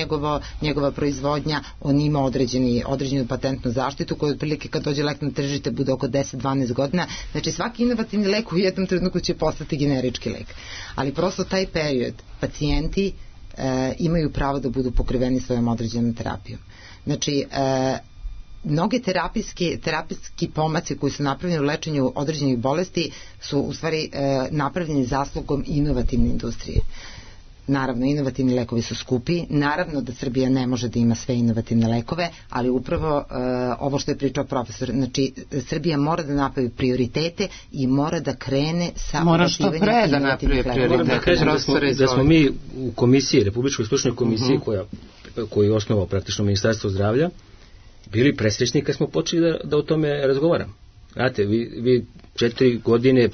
njegova proizvodnja, on ima određenu patentnu zaštitu koja otprilike kad dođe lek na tržište bude oko 10-12 godina. Znači svaki inovativni lek u jednom trenutku će postati generički lek. Ali prosto taj period pacijenti imaju pravo da budu pokriveni svojom određenom terapijom. Znači, mnoge terapijski pomaci koji su napravljeni u lečenju određenih bolesti su u stvari napravljeni zaslugom inovativne industrije. Naravno, inovativni lekovi su skupi, naravno da Srbija ne može da ima sve inovativne lekove, ali upravo ovo što je pričao profesor, znači Srbija mora da napravi prioritete i mora da krene sa uvaživanjem inovativnih lekova. Da smo mi u komisiji, Republičkoj stručnoj komisiji koju je osnovao praktično Ministarstvo zdravlja, bili presrećni kad smo počeli da o tome razgovaramo. Znate, vi 4 godine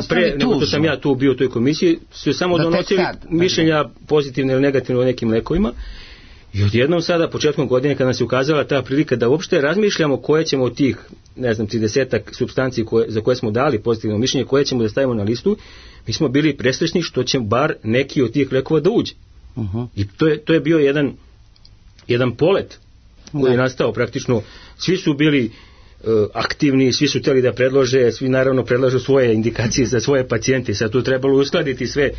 pre nego što sam ja tu bio u toj komisiji su samo donosili mišljenja pozitivne ili negativne o nekim lekovima i odjednom sada početkom godine kada nam se ukazala ta prilika da uopšte razmišljamo koje ćemo od tih 30-ak supstanci za koje smo dali pozitivno mišljenje, koje ćemo da stavimo na listu, mi smo bili presrećni što će bar neki od tih lekova da uđe. I to je bio jedan polet koji je nastao praktično, svi su bili aktivni, svi su htjeli da predlože, svi naravno predlažu svoje indikacije za svoje pacijente, sad tu trebalo uskladiti sve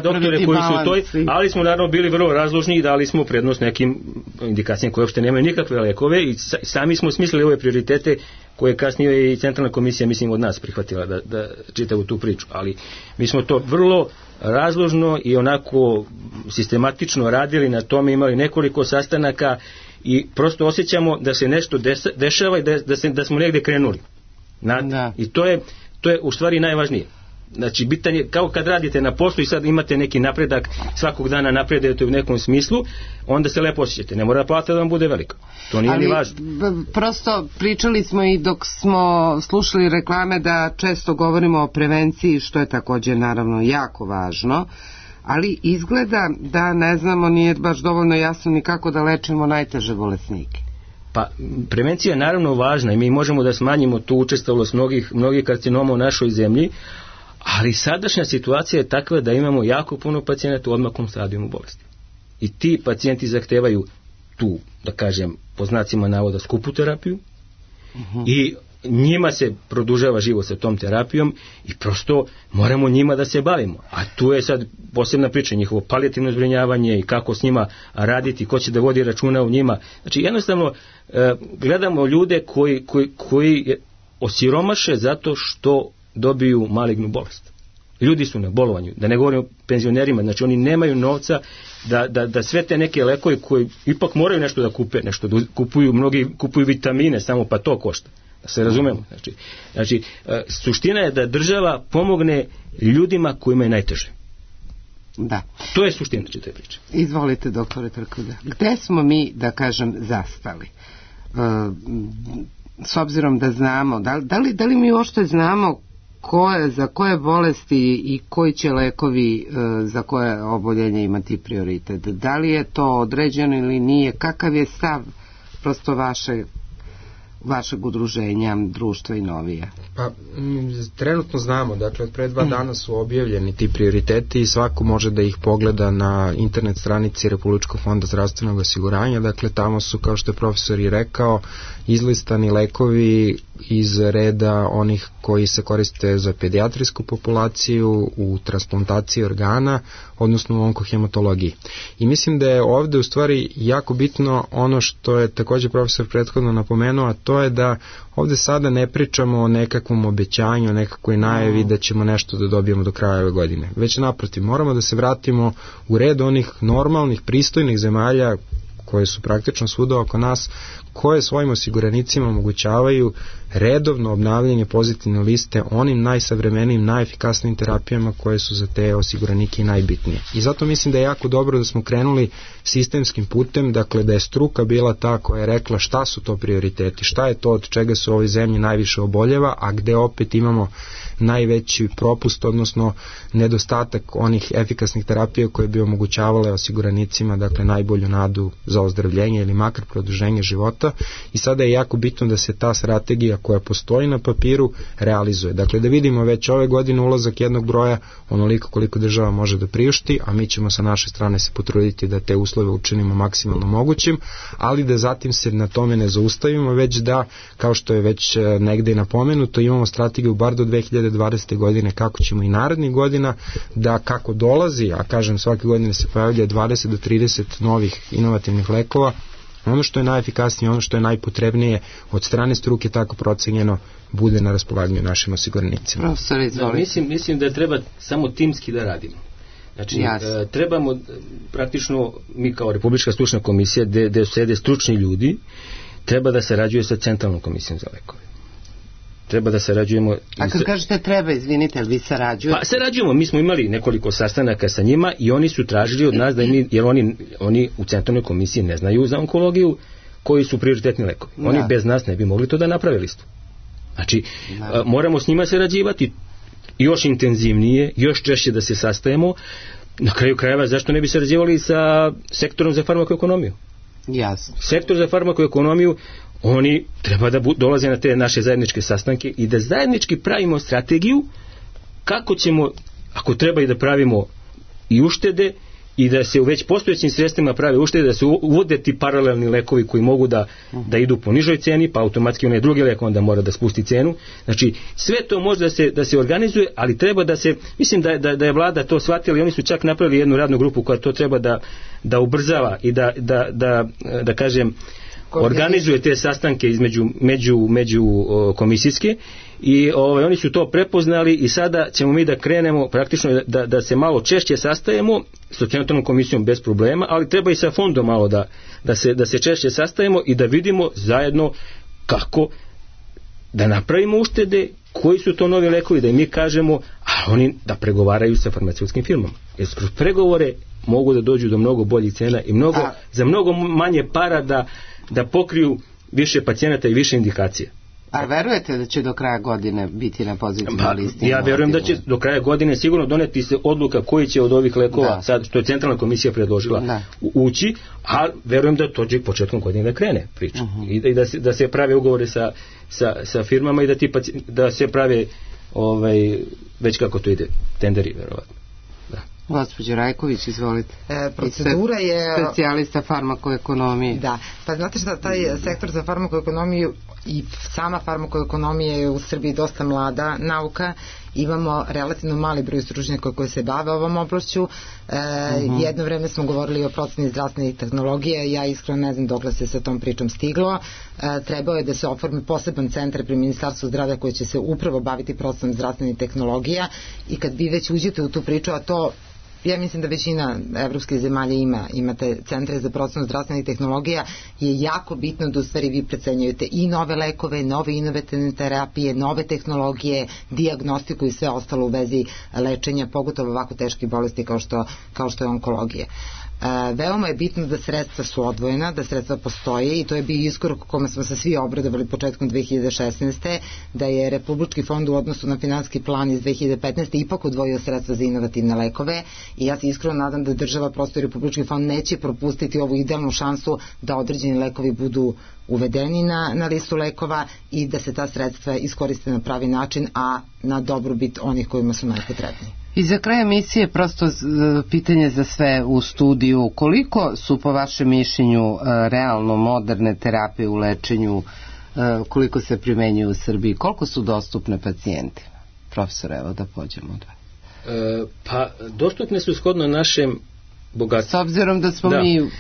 doktore koji su u toj, ali smo naravno bili vrlo razložni i dali smo prednost nekim indikacijama koje uopšte nemaju nikakve lekove i sami smo smislili ove prioritete koje kasnije i Centralna komisija mislim od nas prihvatila da čitavu tu priču, ali mi smo to vrlo razložno i onako sistematično radili na tome, imali nekoliko sastanaka i prosto osjećamo da se nešto dešava i da smo negdje krenuli. I to je u stvari najvažnije. Znači, bitan je, kao kad radite na poslu i sad imate neki napredak, svakog dana napredujete u nekom smislu, onda se lepo osjećate. Ne mora plata da vam bude velika. To nije ni važno. Prosto pričali smo i dok smo slušali reklame da često govorimo o prevenciji, što je također naravno jako važno, ali izgleda da ne znamo, nije baš dovoljno jasno ni kako da lečimo najteže bolesnike. Pa prevencija je naravno važna i mi možemo da smanjimo tu učestalost mnogih karcinoma u našoj zemlji, ali sadašnja situacija je takva da imamo jako puno pacijenata u odmaklom stadijumu bolesti. I ti pacijenti zahtevaju tu, da kažem, po znacima navoda skupu terapiju i njima se produžava život sa tom terapijom i prosto moramo njima da se bavimo. A tu je sad posebna priča, njihovo palijativno zbrinjavanje i kako s njima raditi, ko će da vodi računa o njima. Znači jednostavno gledamo ljude koji osiromaše zato što dobiju malignu bolest. Ljudi su na bolovanju, da ne govorim o penzionerima, znači oni nemaju novca da sve te neke lekove koji ipak moraju nešto da kupe, nešto da kupuju, mnogi kupuju vitamine samo, pa to košta. Da se razumemo. Znači, suština je da država pomogne ljudima kojima je najteže. Da. To je suština te priče. Izvolite, doktore Trkulja. Gde smo mi, da kažem, zastali? S obzirom da znamo, da li mi uopšte znamo za koje bolesti i koji će lekovi za koje oboljenje imati prioritet? Da li je to određeno ili nije? Kakav je stav prosto vašeg udruženja, društva i novija? Pa, trenutno znamo, dakle od pre 2 dana su objavljeni ti prioriteti i svako može da ih pogleda na internet stranici Republičkog fonda zdravstvenog osiguranja, dakle tamo su, kao što je profesor i rekao, izlistani lekovi iz reda onih koji se koriste za pedijatrijsku populaciju, u transplantaciji organa, odnosno u onkohematologiji. I mislim da je ovde u stvari jako bitno ono što je također profesor prethodno napomenuo, a to je da ovde sada ne pričamo o nekakvom obećanju, o nekakvoj najavi da ćemo nešto da dobijemo do kraja ove godine. Već naprotiv, moramo da se vratimo u red onih normalnih, pristojnih zemalja koje su praktično svuda oko nas, koje svojim osiguranicima omogućavaju redovno obnavljanje pozitivne liste onim najsavremenijim, najefikasnijim terapijama koje su za te osiguranike najbitnije. I zato mislim da je jako dobro da smo krenuli sistemskim putem, dakle da je struka bila ta koja je rekla šta su to prioriteti, šta je to od čega se u ovoj zemlji najviše oboljeva, a gde opet imamo najveći propust, odnosno nedostatak onih efikasnih terapija koje bi omogućavale osiguranicima, dakle najbolju nadu za ozdravljenje ili makar produženje života. I sada je jako bitno da se ta strategija koja postoji na papiru realizuje. Dakle da vidimo već ove godine ulazak jednog broja onoliko koliko država može da priušti, a mi ćemo sa naše strane se potruditi da te uslove učinimo maksimalno mogućim, ali da zatim se na tome ne zaustavimo, već da, kao što je već negde napomenuto, imamo strategiju bar do 2020. godine kako ćemo i narednih godina da kako dolazi, a kažem svake godine se pojavlja 20 do 30 novih inovativnih lekova, ono što je najefikasnije, ono što je najpotrebnije od strane struke tako procenjeno bude na raspolaganju našim osiguranicima. Profesor, izvolite. Mislim da treba samo timski da radimo. Znači, trebamo praktično, mi kao Republička stručna komisija gde sede stručni ljudi, treba da sarađuje sa Centralnom komisijom za lekove. Treba da sarađujemo. A kad kažete treba, izvinite, ali vi sarađujete? Pa sarađujemo, mi smo imali nekoliko sastanaka sa njima i oni su tražili od nas da jer oni u Centralnoj komisiji ne znaju za onkologiju koji su prioritetni lekovi. Oni bez nas ne bi mogli to da naprave listu. Znači, moramo s njima sarađivati još intenzivnije, još češće da se sastajemo. Na kraju krajeva, zašto ne bi sarađivali sa sektorom za farmakoekonomiju? Jasno. Sektor za farmakoekonomiju, oni treba da dolaze na te naše zajedničke sastanke i da zajednički pravimo strategiju kako ćemo, ako treba i da pravimo i uštede i da se u već postojećim sredstvima prave uštede, da se uvode ti paralelni lekovi koji mogu da idu po nižoj ceni, pa automatski onaj drugi lek onda mora da spusti cenu. Znači, sve to može da se organizuje, ali treba da se, mislim da je vlada to shvatila i oni su čak napravili jednu radnu grupu koja to treba da ubrzava i da kažem, organizuje te sastanke među komisijske i oni su to prepoznali i sada ćemo mi da krenemo praktično da se malo češće sastajemo s centralnom komisijom bez problema, ali treba i sa fondom malo da se češće sastajemo i da vidimo zajedno kako da napravimo uštede, koji su to novi lekovi, da im mi kažemo, a oni da pregovaraju sa farmaceutskim firmama. Jer kroz pregovore mogu da dođu do mnogo boljih cena i za mnogo manje para da pokriju više pacijenata i više indikacija. A verujete da će do kraja godine biti na pozitivnoj listi? Ja verujem da će do kraja godine sigurno doneti se odluka koji će od ovih lekova, sad što je centralna komisija predložila, ući, a verujem da to će početkom godine da krene priča. I da se prave ugovore sa firmama i da se prave već kako to ide, tenderi verovatno. Gospođo Rajković, izvolite. Procedura je... Specijalista farmakoekonomije. Da, pa znate šta, taj sektor za farmakoekonomiju i sama farmakoekonomija je u Srbiji dosta mlada nauka. Imamo relativno mali broj stručnjaka koji se bave ovom oblašću. Jedno vreme smo govorili o proceni zdravstvenih tehnologija, ja iskreno ne znam dokle se sa tom pričom stiglo. Trebao je da se oformi poseban centar pri Ministarstvu zdravlja koji će se upravo baviti procenom zdravstvenih tehnologija i kad vi već uđete u tu priču, a to ja mislim da većina evropskih zemalja imate centre za procenu zdravstvenih tehnologija, je jako bitno da u stvari vi procenjujete i nove lekove, nove inovativne terapije, nove tehnologije, dijagnostiku i sve ostalo u vezi lečenja, pogotovo ovako teških bolesti kao što je onkologija. Veoma je bitno da sredstva su odvojena, da sredstva postoje i to je bio iskorak kome smo se svi obradovali početkom 2016. da je Republički fond u odnosu na finansijski plan iz 2015. ipak odvojio sredstva za inovativne lekove i ja se iskreno nadam da država, prosto i Republički fond neće propustiti ovu idealnu šansu da određeni lekovi budu uvedeni na listu lekova i da se ta sredstva iskoriste na pravi način, a na dobrobit onih kojima su najpotrebniji. I za kraj emisije prosto pitanje za sve u studiju, koliko su po vašem mišljenju realno moderne terapije u lečenju, koliko se primenjuju u Srbiji, koliko su dostupne pacijentima? Profesor, evo da pođemo od vas. Pa dostupne su shodno našem bogatstvu. S obzirom da smo mi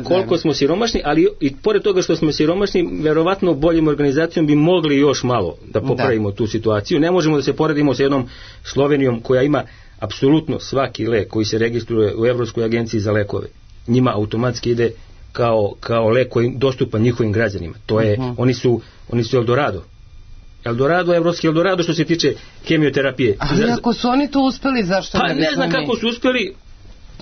koliko smo siromašni, ali i pored toga što smo siromašni, verovatno boljim organizacijom bi mogli još malo da popravimo tu situaciju. Ne možemo da se poredimo sa jednom Slovenijom koja ima apsolutno svaki lek koji se registruje u Evropskoj agenciji za lekove. Njima automatski ide kao lek koji je dostupan njihovim građanima. To je, oni su Eldorado. Evropski Eldorado što se tiče hemioterapije. Ali ako su oni to uspeli, zašto ne? Pa ne znam kako su uspeli.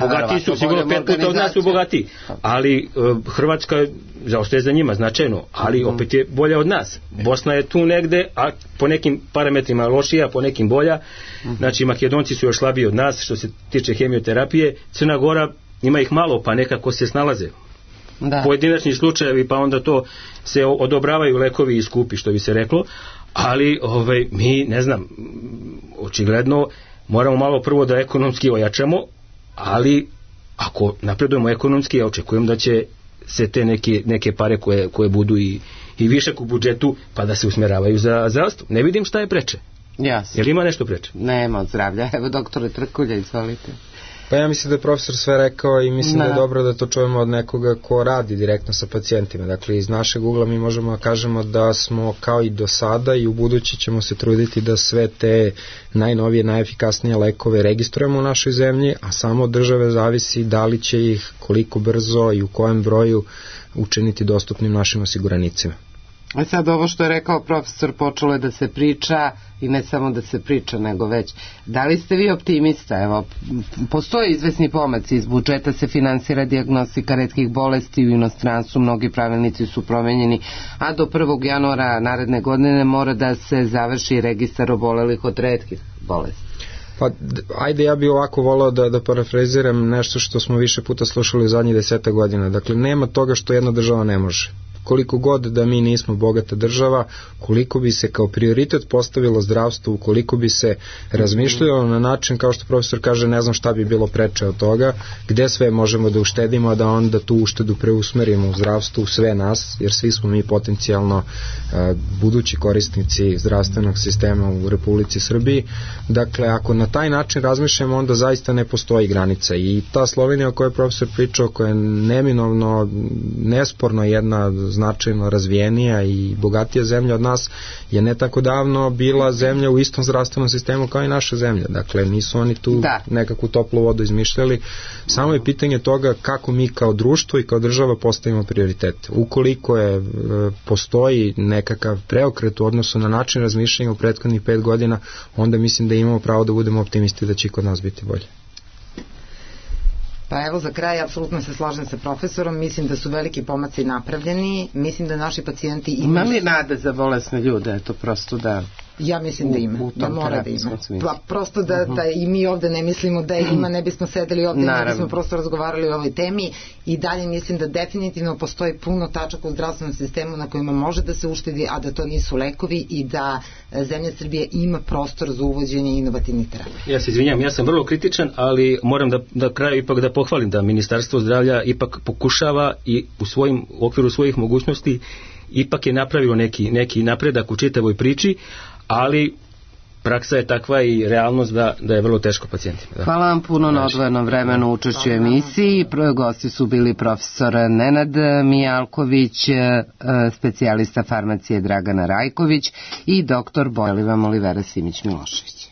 Bogatiji su, sigurno 5 puta od nas su bogatiji, ali Hrvatska zaostaje za njima značajno, ali opet je bolja od nas. Bosna je tu negde, a po nekim parametrima lošija, po nekim bolja. Znači Makedonci su još slabiji od nas što se tiče hemioterapije. Crna Gora ima ih malo, pa nekako se snalaze. Pojedinačni slučajevi, pa onda to se odobravaju lekovi i skupi, što bi se reklo, ali mi, ne znam, očigledno moramo malo prvo da ekonomski ojačamo, ali ako napredujemo ekonomski, ja očekujem da će se te neke pare koje budu i višak u budžetu, pa da se usmjeravaju za zdravstvo. Ne vidim šta je preče. Jasno. Jel ima nešto preče? Nema od zdravlja. Evo, doktore Trkulja, izvolite. Pa ja mislim da je profesor sve rekao i mislim da je dobro da to čujemo od nekoga ko radi direktno sa pacijentima. Dakle, iz našeg ugla mi možemo da kažemo da smo kao i do sada i u budući ćemo se truditi da sve te najnovije, najefikasnije lekove registrujemo u našoj zemlji, a samo od države zavisi da li će ih, koliko brzo i u kojem broju učiniti dostupnim našim osiguranicima. A sad ovo što je rekao profesor, počelo je da se priča i ne samo da se priča, nego već. Da li ste vi optimista? Evo, postoje izvesni pomaci, iz budžeta se finansira dijagnostika retkih bolesti u inostranstvu, mnogi pravilnici su promenjeni, a do 1. januara naredne godine mora da se završi registar obolelih od retkih bolesti. Pa, ajde, ja bih ovako volao da parafraziram nešto što smo više puta slušali u zadnjih 10 godina. Dakle, nema toga što jedna država ne može. koliko god da mi nismo bogata država, koliko bi se kao prioritet postavilo zdravstvo, ukoliko bi se razmišljalo na način, kao što profesor kaže, ne znam šta bi bilo preče od toga, gde sve možemo da uštedimo, da onda tu uštedu preusmerimo u zdravstvu, sve nas, jer svi smo mi potencijalno budući korisnici zdravstvenog sistema u Republici Srbiji. Dakle, ako na taj način razmišljamo, onda zaista ne postoji granica. I ta Slovenija o kojoj je profesor pričao, koja je neminovno, nesporno jedna značajno razvijenija i bogatija zemlja od nas, je ne tako davno bila zemlja u istom zdravstvenom sistemu kao i naša zemlja. Dakle, nisu oni tu nekakvu toplu vodu izmišljali. Samo je pitanje toga kako mi kao društvo i kao država postavimo prioritete. Ukoliko postoji nekakav preokret u odnosu na način razmišljanja u prethodnih 5 godina, onda mislim da imamo pravo da budemo optimisti da će kod nas biti bolje. Pa evo za kraj, apsolutno se slažem sa profesorom, mislim da su veliki pomaci napravljeni, mislim da naši pacijenti ima li nade za bolesne ljude, eto prosto da... Ja mislim da ima, da mora da ima. Pa prosto da i mi ovde ne mislimo da ima, ne bismo sedeli ovde, ne bismo prosto razgovarali o ovoj temi, i dalje mislim da definitivno postoji puno tačaka u zdravstvenom sistemu na kojima može da se uštedi, a da to nisu lekovi, i da zemlja Srbije ima prostor za uvođenje inovativnih terapija. Ja se izvinjam, ja sam vrlo kritičan, ali moram da kraju ipak da pohvalim da Ministarstvo zdravlja ipak pokušava i u okviru svojih mogućnosti ipak je napravilo neki napredak u čitavoj priči, ali praksa je takva i realnost da je vrlo teško pacijentima. Da. Hvala vam puno na odvojenom vremenu učešću u emisiji. Gosti su bili profesor Nenad Mijalković, specijalista farmacije Dragana Rajković i doktor Bojliva Olivera Simić Milošević.